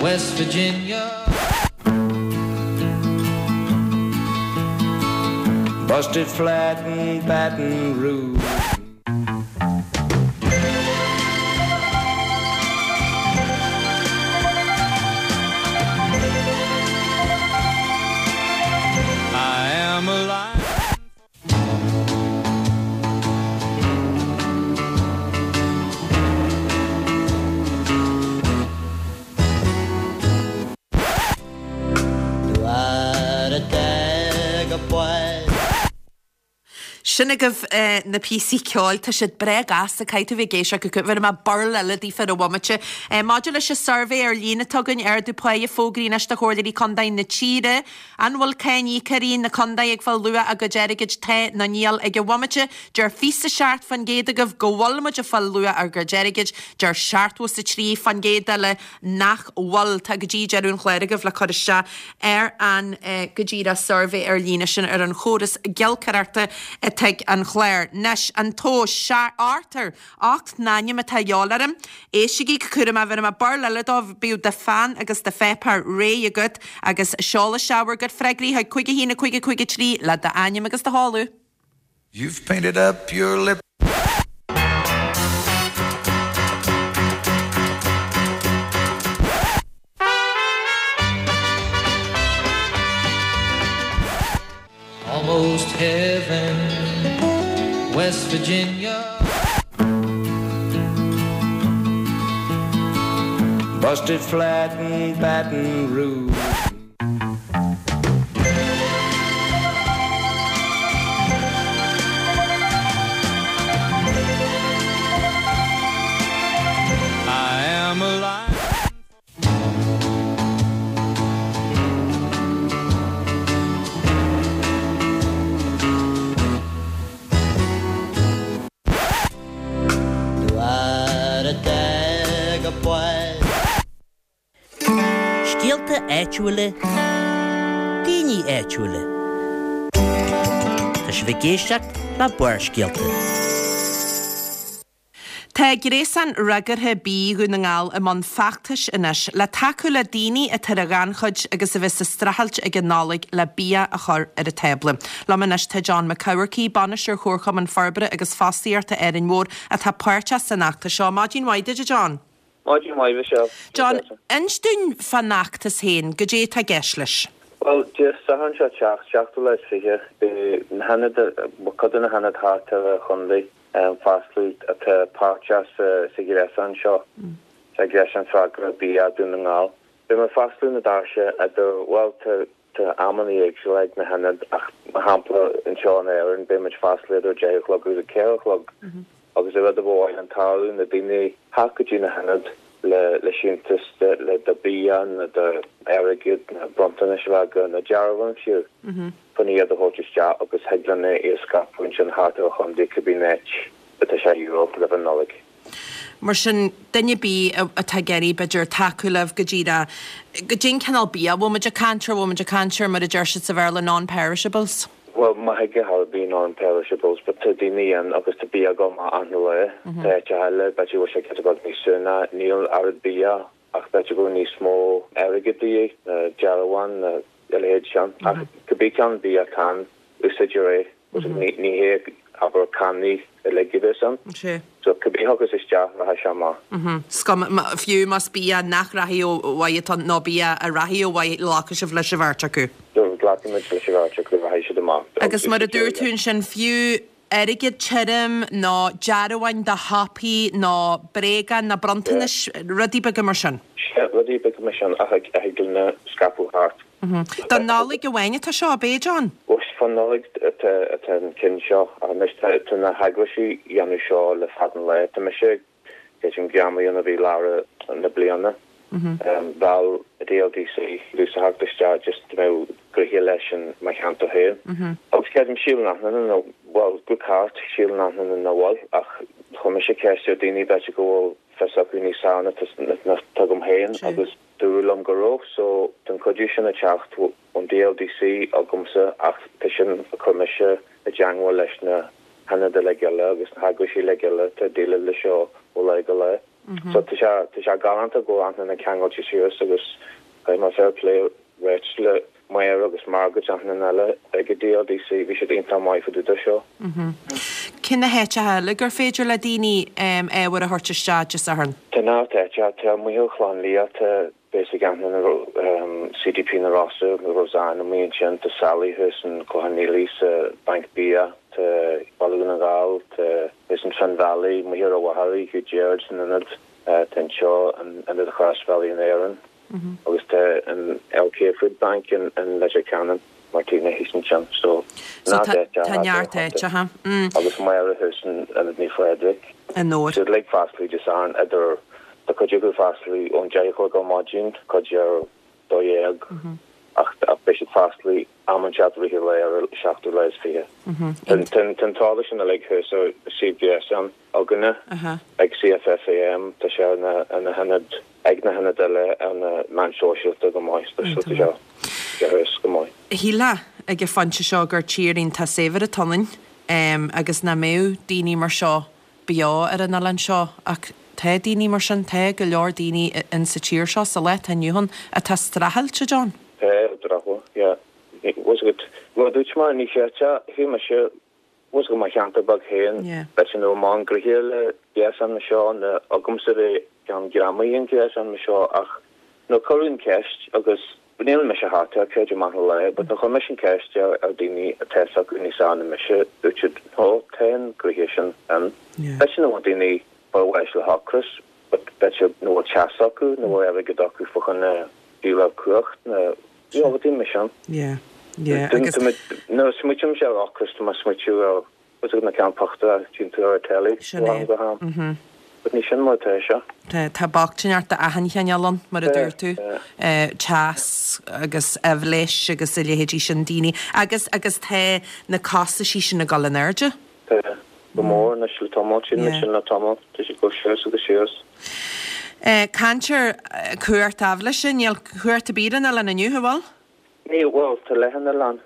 West Virginia. Busted flat in Baton Rouge. I am alive. Sin agaibh na píosaí ceoil, tá siad breá gasta, caithfidh tú bheith ag éisteacht go Bhéarfaidh mé burl eile daofa ar an bhomaite. Maidir leis an suirbhé ar líne atá againn, ardú páighe fógraithe anois do chomhairleoirí contae na tíre. An bhfuil cáiníocóirí na contae ag fáil luach a gcuid airgid? Tá nó níl ag an bhomaite. Deir fiche seacht faoin gcéad agaibh go bhfuil muid ag fáil luach ár gcuid airgid, deir seachtó is a trí faoin gcéad eile nach bhfuil. Tá go dtí deireadh an chláir agaibh le cur isteach ar an go díreach suirbhé ar líne sin ar an chóras giolcaireachta i dTigh an Chláir. Anois, an tomhas, Arthur, ocht n-ainm atá a dhíobháil orm. Éistigí go cúramach, bhéarfaidh mé burl eile daoibh, bíodh do pheann agus do pháipéar réidh agat agus seol isteach bhur gcuid freagraí chuig cúig a haon a cúig a cúig a trí le d'ainm agus do sheoladh. You've painted up your lip. Almost heaven, West Virginia. Busted flat in Baton Rouge. I am alive. Scéalta áitiúla, daoine áitiúla. Tá sibh ag éisteacht le Barrscéalta. Tá Gréasán Fhreagartha Bídh Dhún na nGall i mbun feachtais anois le tacú le daoine atá ar an ghannchuid agus a bheas ag streachailt ag an Nollaig le bia a chur ar an tábla. Liom anois tá John Mac Eamharcaigh, Bainisteoir Chomharchumann Forbartha agus Fostaíochta Árainn Mhór atá páirteach san fheachtas seo. Maidin mhaith duit, a John. Maidin mhaith, Michelle. John, inis dúinn fán fheachtas féin, goidé atá i gceist leis? Bhuel, Dé Sathairn seo ag teacht, seachtú lá is fiche, beidh na hionaid, cuid de na hionaid thart ar an chontae, foscladh atá páirteach sa ghréasán seo, sa ghréasán Freagartha Bia Dún na nGall. Beidh muid ag foscladh na doirse idir, bhuel, tá tá amanna éagsúla ag na hionaid ach mar shampla anseo in Árainn beidh muid ag foscladh idir deich a chlog agus a ceathair a chlog agus an rud a ba mhaith linn tarlú na daoine theacht go dtí na hionaid le le síntiús le do bia nó do airgead nó bronntanais a bheith agat nó dearbháin fiú. chun iad a thabhairt isteach agus thig linn é a scaipeadh ansin thart ar an chontae cibé áit atá sé a dhíobháil roimh an Nollaig. Mar sin, duine ar bith atá ag iarraidh, b'fhéidir, tacú libh go díreach, goidé an cineál bia a bhfuil muid ag caint air, bhfuil muid ag caint ar, mar a deir siad sa Bhéarla, non-perishables? Bhuel, má thig ar bith non-perishables, but tá daoine ann agus tá bia ag dul amach achan lá. Tá áiteacha eile, b'fhéidir go bhfuil sé giota beag níos sine, níl oiread bia ach b'fhéidir go bhfuil níos mó airgead de dhíth, nó dearbháin, nó a leithéid sin. Ach cibé ceann bia atá ann, úsáidtear é. Ní hé, abair, cannaí uilig a bheas ann. So cibé a thiocfas isteach, rachaidh sé amach. Is cuma, fiú más bia nach rachaidh ó mhaith atá ann nó bia a rachaidh ó mhaith, glacfaidh sibh leis an bheirt acu. Glacfaimid leis an bheirt acu, rachaidh siad amach. Agus mar a dúirt tú ansin, fiú airgead tirim nó dearbháin do shiopaí nó bréagáin nó bronntanais, rudaí beaga mar sin. Sea, rudaí beaga mar sin a thig linn a scaipeadh thart. Don Nollaig amháin atá seo, ab é, John? Bhuel, fán Nollaig atá an ceann seo. Anois tá na heagraisí ag déanamh seo le fada an lá. Tá mise creidim greamaithe nuair a bhí lár na bliana. Mheall DLDC domhsa theacht isteach just go mbeadh gnoithe leis in mo cheantar féin. Agus creidim sílim nach nó bhuel go ceart sílim nach nach bhfuil ach chuir mise ceist ar daoine b'fhéidir go bhfuil fios acu níos fearr ná atá agam féin agus dúradh liom go raibh so tá an cuidiú sin ag teacht ón DLDC agamsa ach tá sin ag cur mise i dteangmháil leis na hionaid uilig eile agus na heagraisí uilig eile atá ag déileáil leis seo ó lá go lá. So tá sé tá sé galánta go bhfuil achan duine ceangailte suas agus caithfidh mé fair play a ráit le Máire agus Margaret achan duine eile ag an DLDC bhí siad iontach maith fá dtaobh de seo. Cé na háiteacha eile gur féidir le daoine ábhar a thabhairt isteach Dé Sathairn? Tá neart áiteacha, tá amuigh ar Chlann Lia, tá basic achan duine CDP na Rosa, Roseanne amuigh ansin, tá Sally thuas in Clochán Maoil sa Banc Bia, tá Baile Dhún na nGall, tá thuas in Finn Valley, amuigh ar an Mhachaire, Hugh Gerard san ionad, tá anseo in Ionad Chrosbhealaí in Árainn. Agus tá an LK Food Bank in in Leitir Ceanainn Martina thíos ansin so So tá tá neart áiteacha. Agus Máire thuas in Ionad Naomh Phádraig. An Fhómhair. Siad uilig foscailte Dé Sathairn idir tá cuid acu foscailte ón deich a chlog ar maidin, cuid ar dó dhéag ach ach beidh siad foscailte am inteacht i rith an lae ar an seachtú lá is fiche. Tá an t-eolas sin uilig thuas ar suíomh gréasáin againne ag CFFAM, tá sé ar na hionaid, ag na hionaid eile ar na meáin shóisialta go maith, tá sé thuas go maith. Shílfeá ag an phointe seo gur tír iontach saibhir atá ionainn agus nach mbeadh daoine mar seo beo ar an oileán seo ach tá daoine mar sin, tá go leor daoine in sa tír seo sa lá atá inniu ann atá streachailte, John. Tá, drochuair, yeah. Bhfuil a fhios agat, mar a dúirt mé, ní chreidfeá, fiú mise, bhfuil a fhios agat, mo cheantar beag féin, b'fhéidir nach bhfuil mórán gnoithe le gréasán mar seo, nó agamsa bheith ceann greamaithe an gréasán mar seo ach nuair a cuireadh an ceist agus níl mise thart air, creidim maith an lá, but nuair a chuir mise an ceist ar ar daoine atá fhios acu níos fearr ná mise, dúirt siad, no, tá an gnoithe sin ann. B'fhéidir nach bhfuil daoine fá bháis le hocras, but b'fhéidir nach bhfuil teas acu, nach bhfuil airgead acu fá choinne díol cumhacht nó you know, rudaí mar sin. Yeah, yeah, agus. Nuair a smaoitímse ar ocras, tá mé ag smaoitiú ar bhfuil a fhios agat na ceann pictiúr a tchíonn tú ar an telly Sin ó é. am go ham. Mhm. But ní sin mar atá sé. Tá, tá bochtaineacht d'achan chineál ann, mar a Tá, dúirt tú. tá. Eh, teas agus aibhléis agus a leithéidí sin daoine. Agus, agus tá na costaisí sin ag dul in airde. Tá, go mór anois le tamall, sílim Yeah. sin le tamall, tá sé ag dul suas agus suas. Eh, caint ar cumhacht aibhléise, níl cumhacht ar bith ar an oileán inniu, an bhfuil? Níl, bhuel, tá leath an oileán,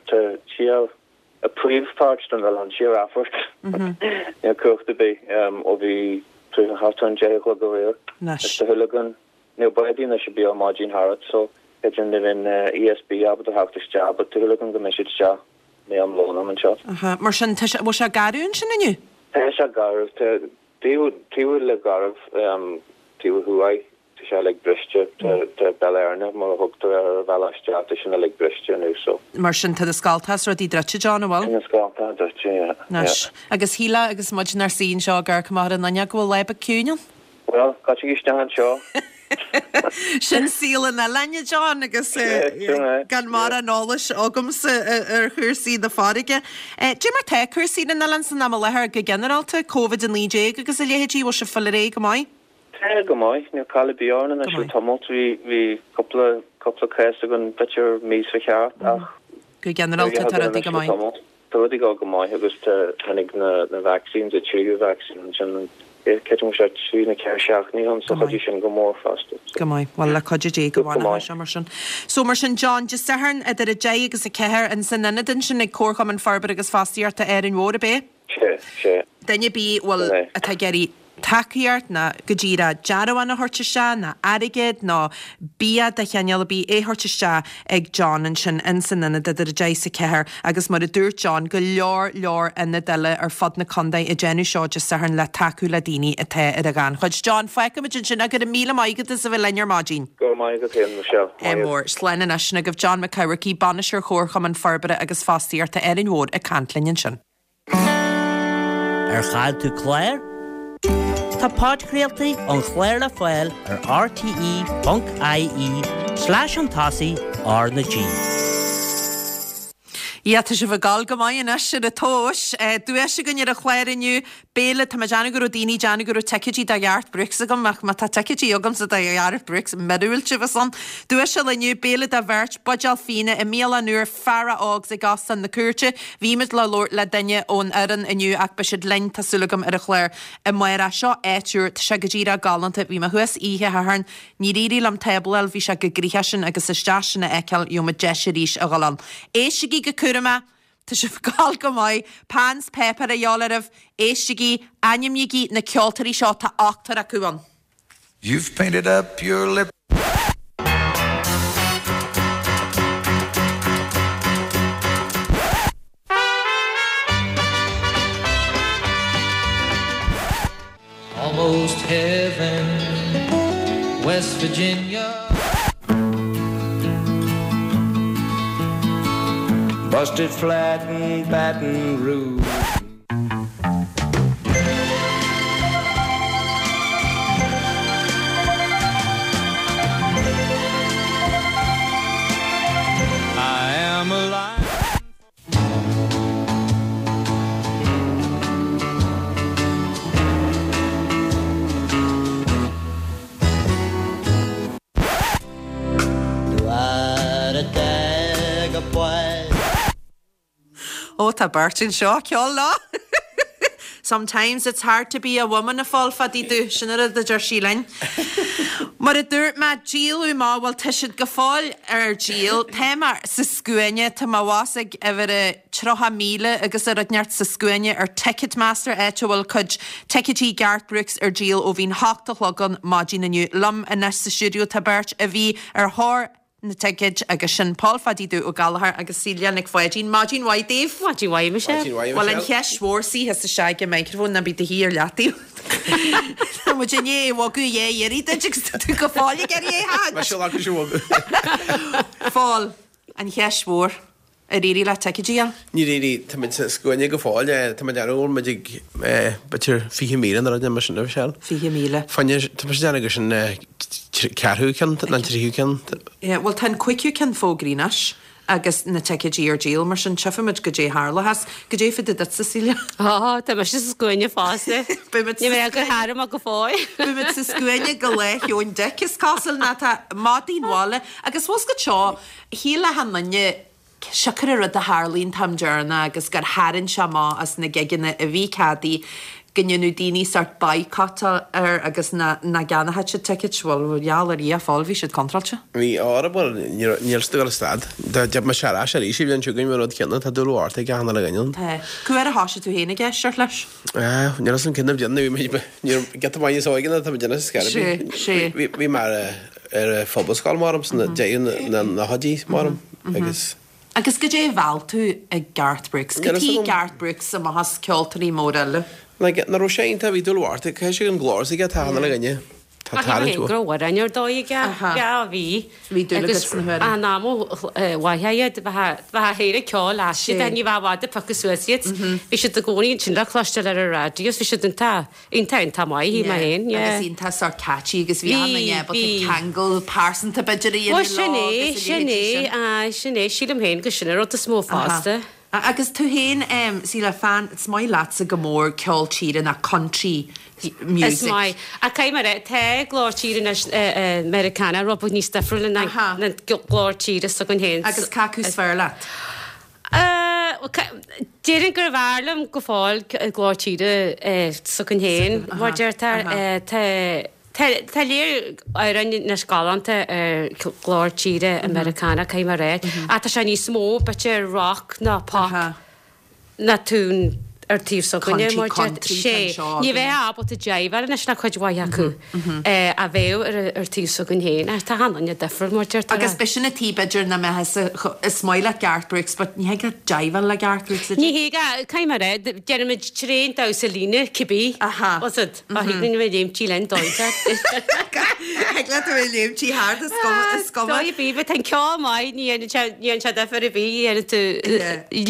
tá siar, an príomhpháirt den oileán, siar Athphort. Níl cumhacht ar bith ó bhí thart ar an deich a chlog aréir. Anois. Is tá a shúil againn, níl bádaí anois ar bith ar maidin thart, so b'fhéidir ní bheidh an ESB ábalta theacht isteach, but tá a shúil againn go mbeidh siad isteach i ndiaidh am lóin am anseo. Aha, mar sin, tá sé, bhfuil sé garbh ansin inniu? Tá sé garbh, tá taobh, taobh le garbh, taobh thuaidh, tá sé uilig briste, tá, tá Béal Éirne, mar a thugtar air ar an bhealach isteach, tá sin uilig briste inniu, so. Mar sin, tá na scallta is rudaí druidte, John, an bhfuil? Tá na scallta druidte, yeah, yeah. Anois, agus shílfeá agus muid inár suí anseo ag amharc amach ar an fhuinneog go bhfuil lá beag ciúin ann? Bhuel, caitfidh isteach anseo. Sin saol an oileáin, a John, agus gan mórán eolais agamsa ar chúrsaí na farraige. Cad é mar tá cúrsaí ar an oileán san am i láthair go ginearálta, Covid a naoi déag agus a leithéidí, bhfuil sibh ag fáil ar aghaidh go maith? Tá go maith, níl call ar bith orainn anois le tamall, bhí bhí cúpla cúpla cás againn b'fhéidir mí seo chaite ach Go ginearálta tá rudaí go maith. Tá rudaí ag dul go maith agus tá tháinig na na vaccines, an tríú vaccine ansin creidim go bhfuil sé trí nó ceithre seachtainí ann so chuidigh sin go mór fosta. Go maith. Bhuel le cuidiú Dé go bhfanfaidh sé mar sin. So mar sin John, Dé Sathairn idir a deich agus a ceathair in san ionad ansin ag Comharchumann Forbartha agus Fostaíochta Árainn Mhór ab é? Sé, sé. Duine ar bith bhfuil atá ag iarraidh tacaíocht ná go díreach dearbhán a thabhairt isteach ná airgead nó bia de chineál ar bith é a thabhairt isteach ag John ansin in san ionad idir a deich is a ceathair agus mar a dúirt John go leor leor ionad eile ar fud na contae ag déanamh seo Dé Sathairn le tacú le daoine atá ar an ghannchuid. John, fágfaimid ansin é, go raibh míle maith agat as a bheith linn ar maidin. Go raibh maith agat féin, Michelle. Ádh mór. Slán anois, sin agaibh John Mac Eamharcaigh, Bainisteoir Chomharchumann Forbartha agus Fostaíochta Árainn Mhór ag caint linn ansin. Ar chaill tú clár? Tá podchraoltaí an chláir le fáil ar rte ponc ie slash chun tosaigh R na G. Yeah, tá sibh ag gabháil go maith anois ar an tomhas. Duais againn ar an chlár inniu. Béile, tá mé ag déanamh go raibh daoine ag déanamh go raibh ticéidí do Gharth Brooks agam, ach má tá ticéidí agamsa do Gharth Brooks, míorúilt a bheas ann. Duais eile inniu, béile do bheirt, buidéal fíona i mbialann úr Fara Ógs ag Óstán na Cúirte. Bhí muid le labhairt le duine ón fhoireann inniu ach beidh siad linn, tá súil agam, ar an chlár amárach. Seo áit úr, tá sé go díreach galánta. Bhí mé thuas oíche Shathairn, níor éirigh liom tábla a fháil, bhí sé go gnoitheach sin agus isteach sin a fheiceáil, gheobhaidh muid deis arís a dhul ann. Éistigí go cúramach! Tá sibh ag gabháil go maith. Pean 's páipéar a dhíobháil oraibh. Éistigí, ainmnígí na ceoltóirí seo, tá ochtar acu ann. You've painted up your lip. Almost heaven, West Virginia. Busted flat in Baton Rouge. the boys. Ó tá beirt anseo ceol lá. Sometimes it's hard to be a woman a Phóil Phadaí Dubh sin a deir sí linn. Mar a dúirt mé díoladh amach bhuel tá siad go fóill ar díol Tá mé sa scuaine tá mé abhus ag uimhir a tríocha míle agus a rud neart sa scuaine ar Ticketmaster áit a bhfuil cuid ticéidí Garth Brooks ar díol ó bhí'n hocht a chlog an maidin inniu. Liom anois sa stiúideo tá beirt a bhí ar thóir na ticéid agus sin Paul Phadaí Dubh Ó Gallchóir agus Celia Nic Pháidín. Maidin mhaith daoibh. Maidin mhaith Michelle. Maidin mhaith Bhuel an Michelle. cheist mhór sí is isteach i microphone ná bí do shuí ar leataobh. Tá muid i ndiaidh bhogadh dhá iarraidh duit agus tá tú go fóill ag iarraidh é a Mar seo agus bhogadh. Phóil, an cheist mhór ar éirigh leat ticéidí a fháil? Níor éirigh tá muid sa scuaine go fóill tá muid ar muid ag b'fhéidir fiche míle nó rud mar sin Michelle. Fiche míle. Fáinne tá muid déanamh go sin ceathrú ceann ná tríú ceann. Yeah, Well tá an cúigiú ceann fógraithe anois agus na ticéidí ar díol mar sin tchífimid goidé tharlós, goidé fá dtaobh duit Cecilia. Á tá mise sa scuaine fosta. Beimid Ní mé go háir go fóill. Beimid sa scuaine go Lá Sheoin Dic is cosúil ná tá maidin bhaile agus fós go seo shíl achan duine siocair an rud a tharlaíonn an t-am deireanach agus gur tharraing sé amach as na gigeanna a bhí ceadaithe go ndéanadh daoine sort boycott air agus na na gceannódh siad tickets bhuel gheall ar Dhia fáil bhí siad contráilte. Bhí ára bhuel níl stu go stad. Tá me sé arís i bhíonn siúgan rud céanna tá dúil art ag achan uile dhuine. Tá Cá huair a thosaigh tú féin ag éisteacht leis? Níl an cinna déanamh get bhaine sóige tá déanamh scar. Sé, sé. Bhí mar ar phobalscoil maram san déan na na hodí maram agus Agus goidé a mheall tú ag Garth Brooks, Go Níl a fhios tí agam. Garth Brooks amach as ceoltóirí mór eile. Like, na raibh sé iontach bhí dúil art ag sé an glór aige tá achan uile dhuine. Tá talent Go raibh ar dóigh Aha. aige bhí. Bhí dúil agat sna huaireanta. An am mhaith iad bheith héire ceol Sé. siad ní bheith bhd piocadh suas iad. Bhí siad i gcónaí sin le cloisteáil ar an raidió, bhí siad iontach iontach iontach maith í mar féin. Agus iontach sort catchy agus bhí Bhí, an ábalta bhí. ceangal pearsanta b'fhéidir a Well dhéanamh sin leo é, agus a sin leithéidí é, ah, sin é, sílim féin go sin an rud is mó fosta. Aha. Agus tú féin um, Síle fan is maith leatsa go mór ceol tíre na country music. Is maith. A cai mar tá glór tíre na Meiriceánach rud níos difriúla na Aha. na glór tíre s'againn féin. Agus cé acu is fearr leat. Déarfainn gur bhfearr liom go fóill glór tíre s'againn féin, mar deirtear Tá léir ar na scálanta ar glór tíre Meiriceánach cai mar é. A tá sé níos mó b'fhéidir rock ná pop na tún ar taobh s'againne Country, mar country sé. anseo Ní againne. bheith ábalta jiveáil leis na cuid mhaith acu a bheith ar ar taobh s'againn féin ar tá an difir mar deirtear. Agus be sin a tí b'fhéidir na me is maith leat Garth Brooks, but ní hé jiveáil le Garth Brooks. Ní hé cai mar é déanaimid tréan damhsa líne cibé Aha. Was it a thuig mé léimtí len dóite. Ag le tú léimtí thart is cuma Dóigh bí an ceol maith ní dhéanann sé difear ar bith dhéanann tú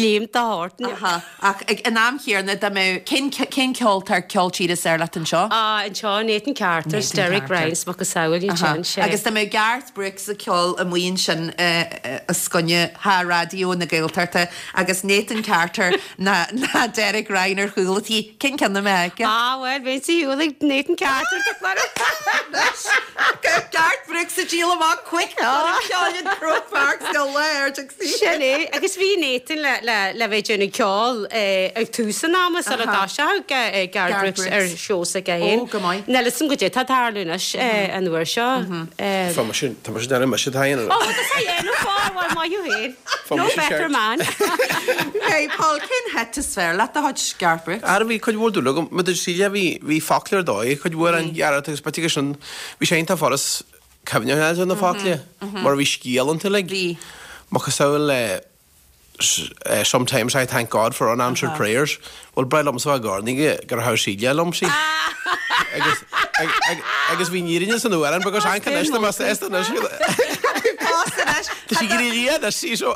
léim a thabhairt. Aha. Ach ag an am chéanna dá mbeadh cén cén ceoltóir ceol tíre is fearr leat anseo? Ah, anseo Nathan Carter, Nathan Derek Carter. Ryan, macasamhail Aha. sin sé. Agus dá mbeadh Garth Brooks ag ceol amuigh ansin os coinne ha Raidió na Gaeltachta agus Nathan Carter na na Derek Ryan ar chúl an tí cén ceann a mbeadh aige? Ah, well, bhí sí ag Nathan Carter Garth Brooks ag díol amach quick ceol Croke Park go léir Sin é, agus bhí Nathan le le le bheith déanamh ceol ag tús an ama sula Aha. dá Garth Garth Brooks ar Brooks. seó aige féin. Ó, go maith. Níl san go dé tá tarlú anois an uair seo. Tá sin tá sin dean me se Ó, tá nó fá maith féin. No better man. Hey Paul, cén hit is fearr leat de chuid Garth Brooks? Ar bhí chuid mhór dúil agam, mu sí bhí bhí focla ar dóigh chuid mhór an gearr agus b'fhéidir sin bhí sé iontach furast cuimhneamh na focla mar bhí scéal iontu like. Bhí. Macasamhail le uh, sometimes I thank God for unanswered prayers. Well breá liom so garni gur ha síle liom sí. Agus agus bhí nírinne san uan because an kan mas Tá Sí sí so.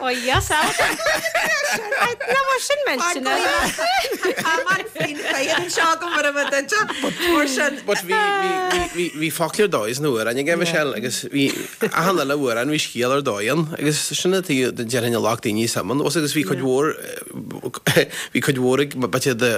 Ó yes, Ná mar sin millteanach. Tá faoin chaid anseo go mar a bheith duite. Mar sin. But bhí bhí bhí bhí focla ar dóigh sna hamhráin aige Michelle agus bhí achan uile amhrán bhí scéal ar dóigh ann agus sin an tuige déarfainn a ghlac daoine suim ann. Agus bhí cuid mhór bhí cuid mhór ag b'fhéidir de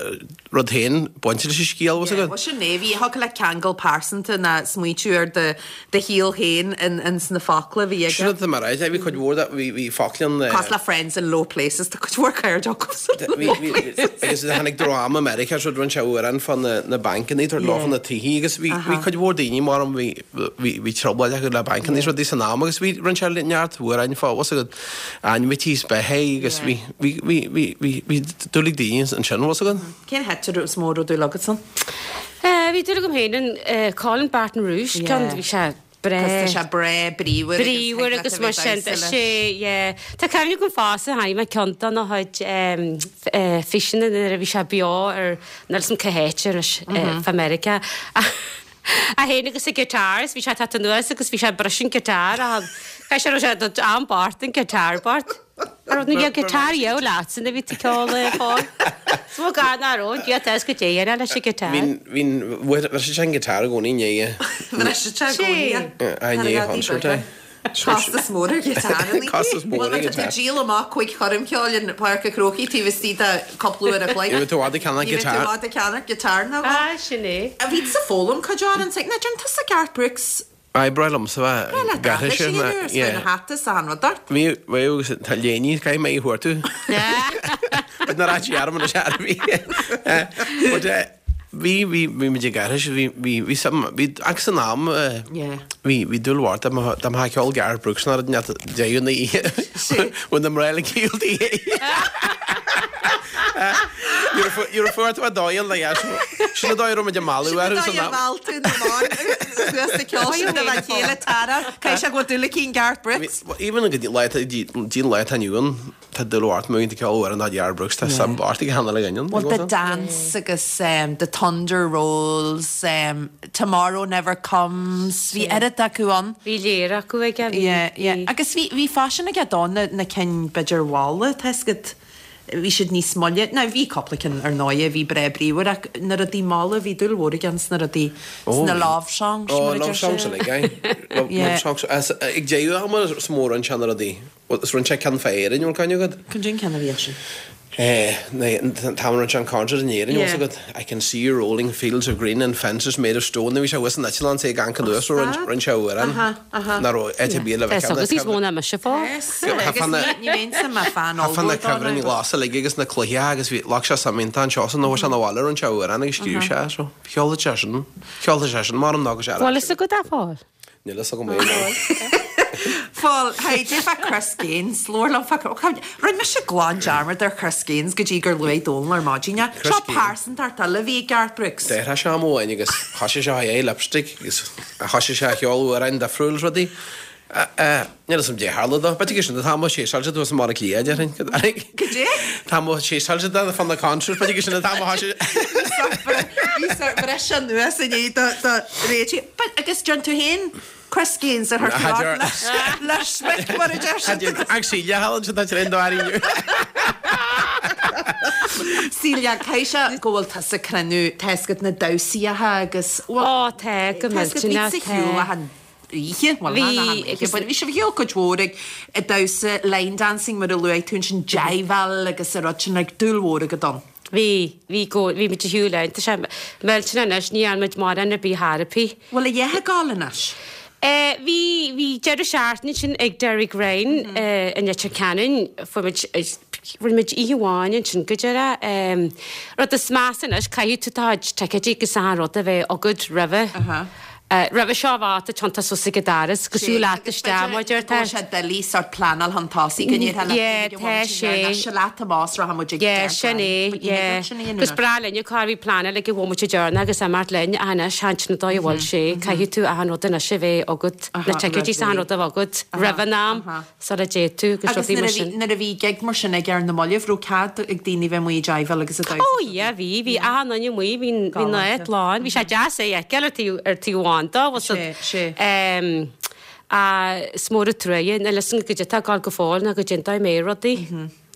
rud féin bainte leis an scéal was agat. Bhuel sin é, bhí thiocfadh le ceangal pearsanta ná smaointiú ar do do shaol féin in in sna focla a bhí aige. Sin atá mé a rá, bhí cuid mhór de bhí bhí focla ann. Cosúil le Friends in Low Places, tá cuid mhór cairde acu san Bhí Low bhí Places. agus tháinig dream i Meiriceá so rinne sé amhrán fá na na bancanna tabhairt leo na tithe agus bhí bhí cuid mhór daoine mar an bhí bhí bhí trioblóid acu le bancanna is rudaí san am agus bhí rinne sé neart amhráin fá was agat ainmhithe is beatha agus bhí bhí bhí bhí bhí bhí dúil ag daoine ansin was agat. Cén hit is mó a raibh dúil agat ann? Eh, bhí dúil agam féin in eh, Calling Baton Rouge, Yeah. ceann bhí sé breá. Cos tá sé breá bríomhar agus Bríomhar thig leat agus a mar bheith sin damhsa leis. sé, yeah. Tá cuimhne agam fosta chonaic mé ceann de na chuid em, f- eh, físeanna nuair a bhí sé beo ar níl 'fhios a'm cá háit anois eh, fá Meiriceá. É féin agus a guitar is bhí sé ag teacht anuas agus bhí sé ag briseadh an guitar a chaith sé raibh sé an-bhart an guitar bart. Ar rud na guitar dheo leat san a bhí tú ceol le fáil. Is mó gan ná raibh Dia tá go dé ar leis an guitar. Bhín bhín bhris sé an guitar i gcónaí i ndiaidh. Bhris sé i gcónaí. I ndiaidh concert é. Costas mór ar ghiotár an Costas mór ar Tá ghiotár. díol amach cúig choirm cheoil in Páirc an Chrócaigh taobh istigh de cúpla uair a chloig. Ní bheidh tú i bhfad ag ceannach Ní bheidh tú i guitar. bhfad ag ceannach guitar ná dhó. Ah, sin é. A bhí tusa ag foghlaim cuid amhrán sa ná déan tusa Garth Brooks. Aye, breá liomsa bheith Breá leat gairthe aithris sin, a dhéanamh ar yeah. na hata is an rud ort. Bhí bhí agus tá léiní caithfidh mé a thabhairt tú. But nar áit arm na sear bhí. But eh, bhí bhí bhí muid ag aithris bhí bhí bhí some bhí agus san am eh, Yeah. bhí bhí dúil mhór dá mba dá mba ceol Garth Brooks ná net deireadh na oíche. Bhain na mná le ceol di. You're a fuair tú a dóigh le dheas. Sin an dóigh a raibh muid ag mealladh orthu san am. Mheall tú na mban suas sa ceol sin de bheith chéile Tara. Caithfidh sé go bhfuil dúil aici in Garth Brooks. Even go dtí lá dtí an lá atá inniu ann, tá dúil mhór agam i ceol amhrán de Garth Brooks, tá suim mhór ag achan uile dhuine. Well, The Dance agus um, The Thunder Rolls, um, Tomorrow Never Comes, bhí oiread acu ann. Bhí léir acu aige. bhí- Yeah, yeah. bhí- Agus bhí bhí faisean aige dó na, na cinn b'fhéidir mhalla, tá 'fhios agat bhí siad níos moille. Now bhí cúpla cinn ar ndóigh a bhí breá bríomhar ach na rudaí malla bhí dúil mhór aige sna rudaí sna love songs. Ó, mar a love deir songs siad. uilig, aye. Love Yeah. love songs. As, ag deireadh ama is mór an sean rudaí. Is rinne sé ceann fá Éirinn, bhfuil cuimhne agat? Cad é an ceann a bhí sin? Eh, nee, tá an sean concert in Éirinn, Yeah. yeah. agat. I can see you rolling fields of green and fences made of stone. Bhí sé thuas san eitleán é gan anuas rinne sé amhrán. Aha, aha. Ná raibh áit ar bith le Tá bheith agus níos mó ná mise fá. Agus ní ní bheinnse mar fan Tá na ollmhór cuibhrinn ghlasa uilig agus na cloiche agus bhí leag sé suim iontach anseo san nó sé na bhaile rinne sé amhrán agus scríobh sé so cheol sé sin cheol sé sin mar an ná sé. Bhfuil fhios agat a Phóil? Níl fhios agam é. Fáil, hey, dé fá Chris Gaines, labhair liom fá Rinne mise glan dearmad ar Chris Gaines go dtí gur luaigh Dónal ar maidin. Chris Seo Gaines. pearsantacht eile a bhí ag Garth Brooks. Deir sé am amháin agus thosaigh sé é lipstick agus thosaigh sé ceol amhráin difriúil is rudaí. Níl fhios a'm dé tharla dó. B'fhéidir sin tá sé sáilte tú mar a cliath déarfainn. Go dé? Tá sé sáilte de fan na concert, b'fhéidir sin tá sé. Bhí breis anuas inné do réití. But agus John tú féin Chris Gaines ar Had leis leis mar a deir siad. Ag sí le halan tá tar do inniu. Celia caithfidh sé go bhfuil tusa ag cruinniú tá 'fhios agat na damhsaíocha agus Ó tá go millteanach, Bhí tá. shiúl an oíche well, Bhí, chan an oíche, agus- but bhí sibh ar shiúl cuid mhór ag ag damhsa line dancing mar a luaigh tú sin jive-áil agus a rud sin ag dúil mhór agat ann. Bhí bhí go bhí muid ar shiúl ann, tá sé millteanach anois ní dhearna muid mórán ar bith therapy. Bhfuil a dheich ag gabháil anois? Eh, bhí bhí deireadh seachtaine sin ag Derek Ryan eh, in Leitir Ceanainn fuair muid eh, rinne muid oíche amháin ansin go deireadh. Em, rud is measa anois caithfidh tú do chuid ticéidí agus achan rud a bheith agat roimhe. Aha. Eh, roimhe seo bheadh tionta suas ag an doras, go siúl leat isteach mar deir Tá sé doiligh sort pleanáil chun tosaigh go ndéarfá le Yeah, tá sé. sé leat amás ra muid ag Yeah, Derek sin Ryan. é, But ní yeah. thig leat sin a dhéanamh. Gus breá linn cá bhí pleanáil ag bhmuid dearna agus amart linn a hanna sean na dóigh a bhfuil sé, caithfidh tú achan rud anois a bheith agat, Aha, na ticéidí roimh achan ré. rud a bheith agat roimh an am aha. sula dté tú agus Agus rudaí nuair mar a bhí- sin. nuair a bhí gig mar sin ag ar na mallaibh raibh cead ag daoine bheith amuigh ag jive-áil agus ag damhsa. Ó yeah, bhí, bhí achan duine amuigh, bhí bhí Galánta. na áit lán, bhí sé deas é a fheiceáil ar taobh ar taobh amháin dó, was Sé, sé. Um, Ach is mór an truaighe, níl fhios agam goidé atá ag gabháil go fóill ná goidé an dóigh a mbeidh rudaí.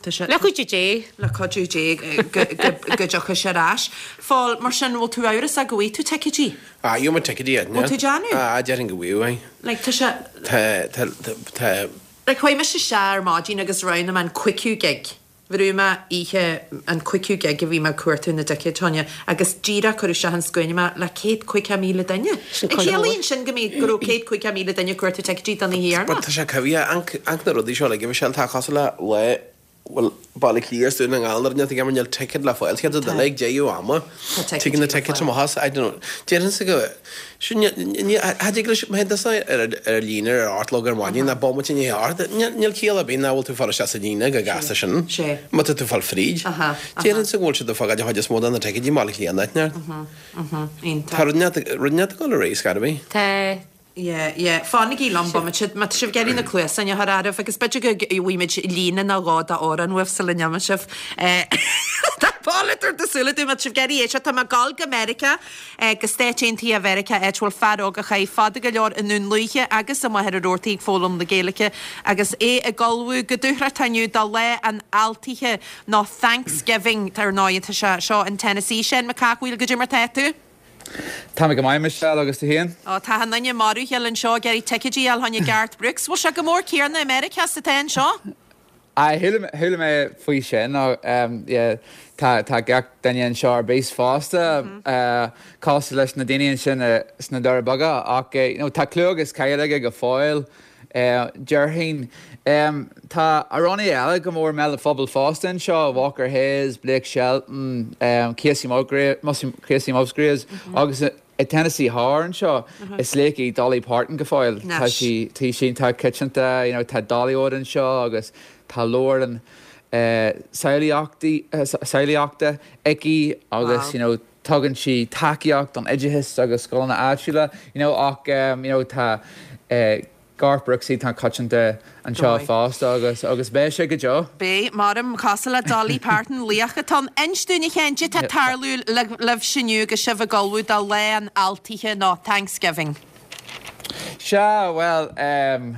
Le cuidiú Dé. Le cuidiú Dé go dtiocfaidh sé ar ais. Phól, mar sin, bhfuil tú amhrasach go bhfaighidh tú ticéidí? Ah, gheobhaidh mé ticéidí, yeah. Bhfuil tú déanamh? Ah, déarfainn go bhfaighidh. Like, tá sé... Tá, tá, tá... Like, chuaigh mise isteach ar maidin agus roghnaigh mé an cúigiú gig. Bhrúigh mé oíche an cúigiú gig a bhí mé ag cuartú na dticéid fá choinne agus díreach cuireadh isteach an scuaine mé le céad caoga míle duine. Sin cuid mhór. Ciallaíonn sin go mbeidh, go raibh céad caoga míle duine ag cuartú ticéidí don oíche But dheireanach. tá sé coimhthíoch, amharc, amharc na rudaí seo uilig, a Mhichelle, tá cosúil le lá bhuel, Baile Átha Cliath is Dún na nGall nuair a níl níl ticket le fáil, céad duine ag deireadh ama. Tá Tigeann na tickets tickets amach as, I don't know. Déarfainnse go, sin, ní, cha dtig leis, má théann tusa ar ar líne ar a hocht a chlog ar maidin, ná bomaite i ndiaidh a hocht, níl níl ciall ar bith nach bhfuil tú ag fáil isteach sa líne go gasta sin. Sé. Má tá tú ag fáil fríd. Aha, aha. Déarfainnse go bhfuil siad ag fágáil an chuid is mó de na ticéidí i mBaile Átha Cliath in áit neart. Iontach. Tá rud inteacht, rud inteacht ag dul ar aghaidh, scairt ar bith. Tá. Yeah, yeah. Fanaigí liom bomaite, má tá sibh ag iarraidh na cluasáin a chur oraibh agus b'fhéidir go bhfaighimid líne nó dhó d'amhrán uaibh sula n-imeoidh sibh. Tá Paul ag tabhairt na súile dom, má tá sibh ag iarraidh éisteacht, tá mé ag dul go Meiriceá, go Stáit Aontaithe Mheiriceá, áit a bhfuil fear óg a chaith fada go leor i nDún Lúiche agus i Machaire Rabhartaigh ag foghlaim na Gaeilge agus é ag ullmhú go dúthrachtach inniu do Lá an Fháiltithe nó Thanksgiving, ar ndóigh, tá sé seo in Tennessee. Seán Mac Cathmhaoil, goidé mar tá tú? Tá mé go maith, Michelle, agus tú féin? Ó, tá an duine marbhcheall anseo ag iarraidh ticéidí a fháil fá choinne Garth Brooks. Bhfuil sé chomh mór céanna i Meiriceá is atá anseo? Aye, chuala chuala mé faoi sin. Yeah, tá tá gach duine anseo ar bís fosta, cosúil leis na daoine ansin sna Doirí Beaga, ach you know, tá clú agus cáil aige go fóill. Déarfainn. Tá amhránaithe eile go mór i mbéal an phobail fosta anseo, Walker Hayes, Blake Shelton, Kacey Kacey Musgraves agus i Tennessee Thoir anseo is laoch í Dolly Parton go fóill. Tá sí tá sí iontach coitianta, you know, tá Dollywood anseo agus tá leabharlann samhlaíochta aici agus you know, tugann sí tacaíocht don oideachas agus scoileanna áitiúla, you know, ach you know, tá Garth Brooks iontach coitianta anseo fosta agus agus beidh sé go deo. Beidh, maram, cosúil le Dolly Parton, laoch atá ann. Inis dúinn a Sheáin, goidé tá ag tarlú libhse inniu agus sibh ag ullmhú do Lá an Fháiltithe nó Thanksgiving? Sea, bhuel, em,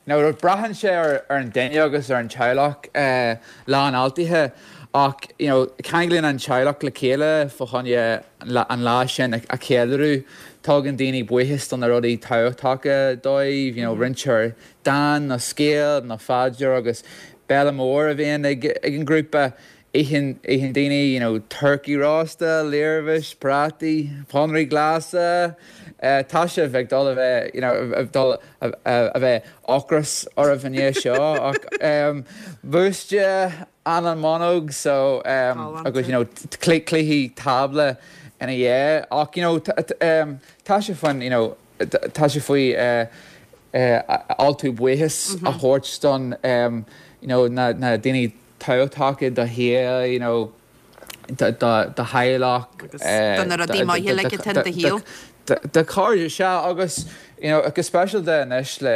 nó braitheann sé ar an duine agus ar an teaghlach Lá an Fháiltithe ach you know ceanglaíonn an teaghlach le chéile fá choinne an lá sin a cheiliúradh. Tugann daoine buíochas do na rudaí tábhachtacha dóibh, you know roinntear dán nó scéal nó phaidir agus béile mór a bhíonn ag an ngrúpa. Itheann itheann daoine you know turcaí rósta, leervis, prátaí, pónairí glasa. Tá sibh ag dul a bheith you know ag dul a bheith ocras oraibh i ndiaidh seo ach búiste, anlann mónóg so agus you know cluichí tábla ina dhiaidh ach you know tá sé faoin you know tá sé faoi altú buíochas a thabhairt don you know na na daoine tábhachtacha i do shaol you know do do theaghlach Agus do na rudaí maithe uilig atá in do shaol. Do chairde, sea, agus you know go speisialta anois le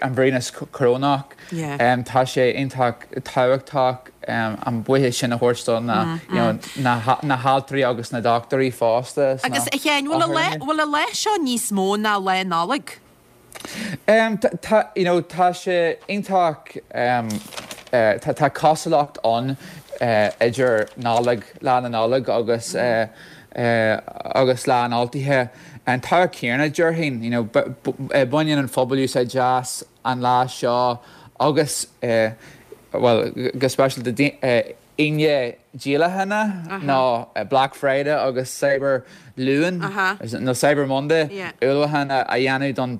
an víreas corónach, tá sé iontach tábhachtach an buíochas sin a thabhairt do na you know na haltraí agus na dochtúirí fosta sna Agus a Sheáin, bhfuil an bhfuil an lá seo níos mó ná Lá Nollag? Tá, you know, tá sé iontach, tá tá cosúlacht ann idir Nollaig, Lá na Nollag agus agus Lá an Fháiltithe. An tábhacht céanna, déarfainn, you know, baineann an phobal úsáid as an lá seo agus, bhuel, go speisialta Aoine díolacháin nó Black Friday agus Cyber Luan nó Cyber Monday ullmhúchán a dhéanamh don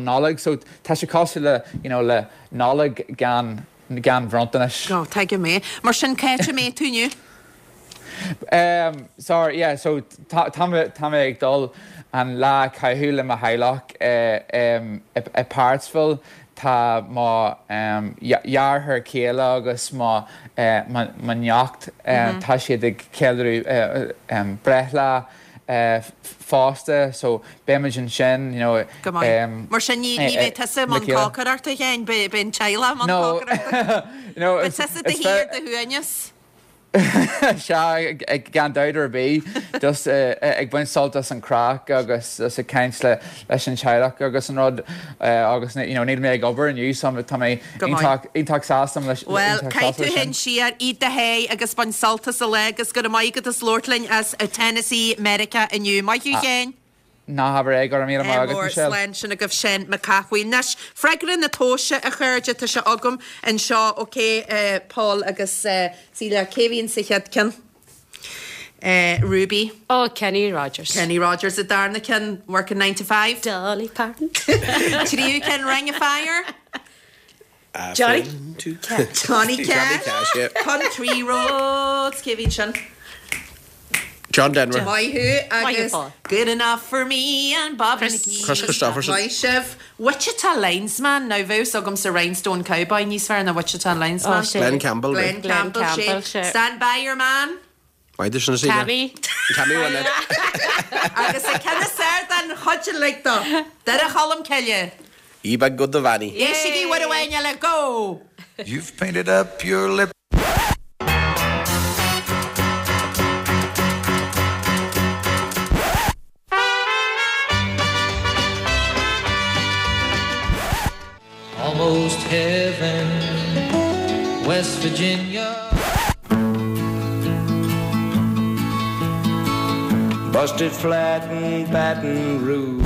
Nollaig. So tá sé cosúil le you know le Nollaig gan gan bhronntanais. Oh, tuigim é. Mar sin cá háit a mbeidh tú inniu? Um, sorry, yeah, so tá tá mé tá mé ag dul an lá a chaitheamh le mo theaghlach i i Parksville. Tá mo dheartháir céile agus mo mo neacht, tá siad ag ceiliúradh breithlá fosta so beimid ansin you know. Go maith. Mar sin ní ní bheidh tusa i mbun cócaireachta a Sheáin, beidh an teaghlach i mbun cócaireachta. No, Beidh tusa i do shuí ar do shuaimhneas. Sea, gan dabht ar bith, just ag baint sult as an craic agus just ag caint le leis an teaghlach agus an rud agus you know níl mé ag obair inniu so tá mé iontach iontach sásta leis Bhuel, caith tú féin siar, ith do sháith agus bain sult as an lá agus go raibh maith agat as labhairt linn as Tennessee, Meiriceá inniu. Maith thú Sheáin! Ná habair é, go raibh míle maith agat, Michelle. Slán sin agaibh Seán Mac Cathmhaoil. Anois, freagra na tomhaise, a chairde, tá sé agam anseo, ok, Paul agus Celia, cé a bhíonn sa chéad ceann? Ruby. Oh, Kenny Rogers. Kenny Rogers, an darna ceann, Working Nine to Five. Dolly Parton. Tríú ceann, Ring of Fire. Johnny Johnny Cash. Country Roads, cé a bhíonn sin? John Denver. Maith thú agus Good enough for me and Bobby McGee. Kris Kristofferson. Maith sibh. Wichita Linesman. Now bheadh 's agamsa Rhinestone Cowboy níos fearr ná Wichita Linesman. Glen Campbell. Glen Campbell, sé. Stand by your man. Maith duit sin a Síle. Tammy. Tammy Wynette. Agus an ceann is fearr den chuid uilig de. Doire Cholm Cille. Ye Big Good Vanny. Éistigí uair amháin eile, go! You've painted up your lip. Almost heaven, West Virginia. Busted flat in Baton Rouge.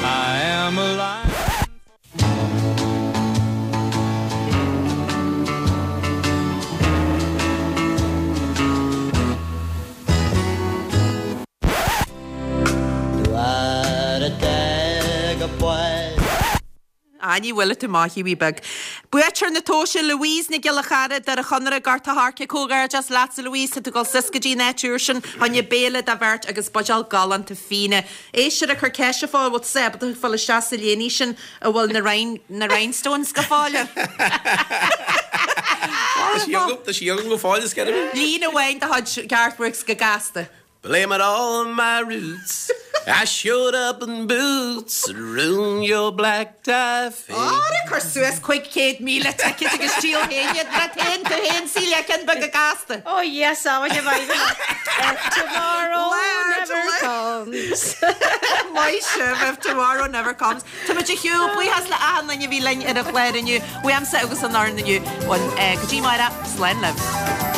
I am alive. Á, ní bhfuil tú maith, a wee beag. Buaiteoir na tomhaise, Louise Nic Giolla Chara, Doire Chonaire, Gort a' Choirce, Comhghairdeas leatsa Louise, tá tú ag dul suas go dtí an áit úr sin, fá choinne béile do bheirt agus buidéal galánta fíona. Éisteoir ag cur ceiste fá bhfuil tú ábalta fáil isteach sa léiní sin a bhfuil na rhin, na rhinestones go fóill ann. Tá sí agam, tá sí agam go fóill, is ceithre mí. Líne amháin de chuid Garth Brooks go gasta. Blame it all on my roots I showed up in boots and ruined your black tie face. Ára cur suas cúig chéad míle ticéad agus díol féin iad leat féin, tú féin Celia ceann beag go gasta. Oh yes, I would have If tomorrow never comes. Maith sibh, if tomorrow never comes. Tá muid ar shiúl, buíochas le achan duine a bhí linn ar an chlár inniu, uaimse agus an fhoireann inniu. Go dtí amárach, slán libh.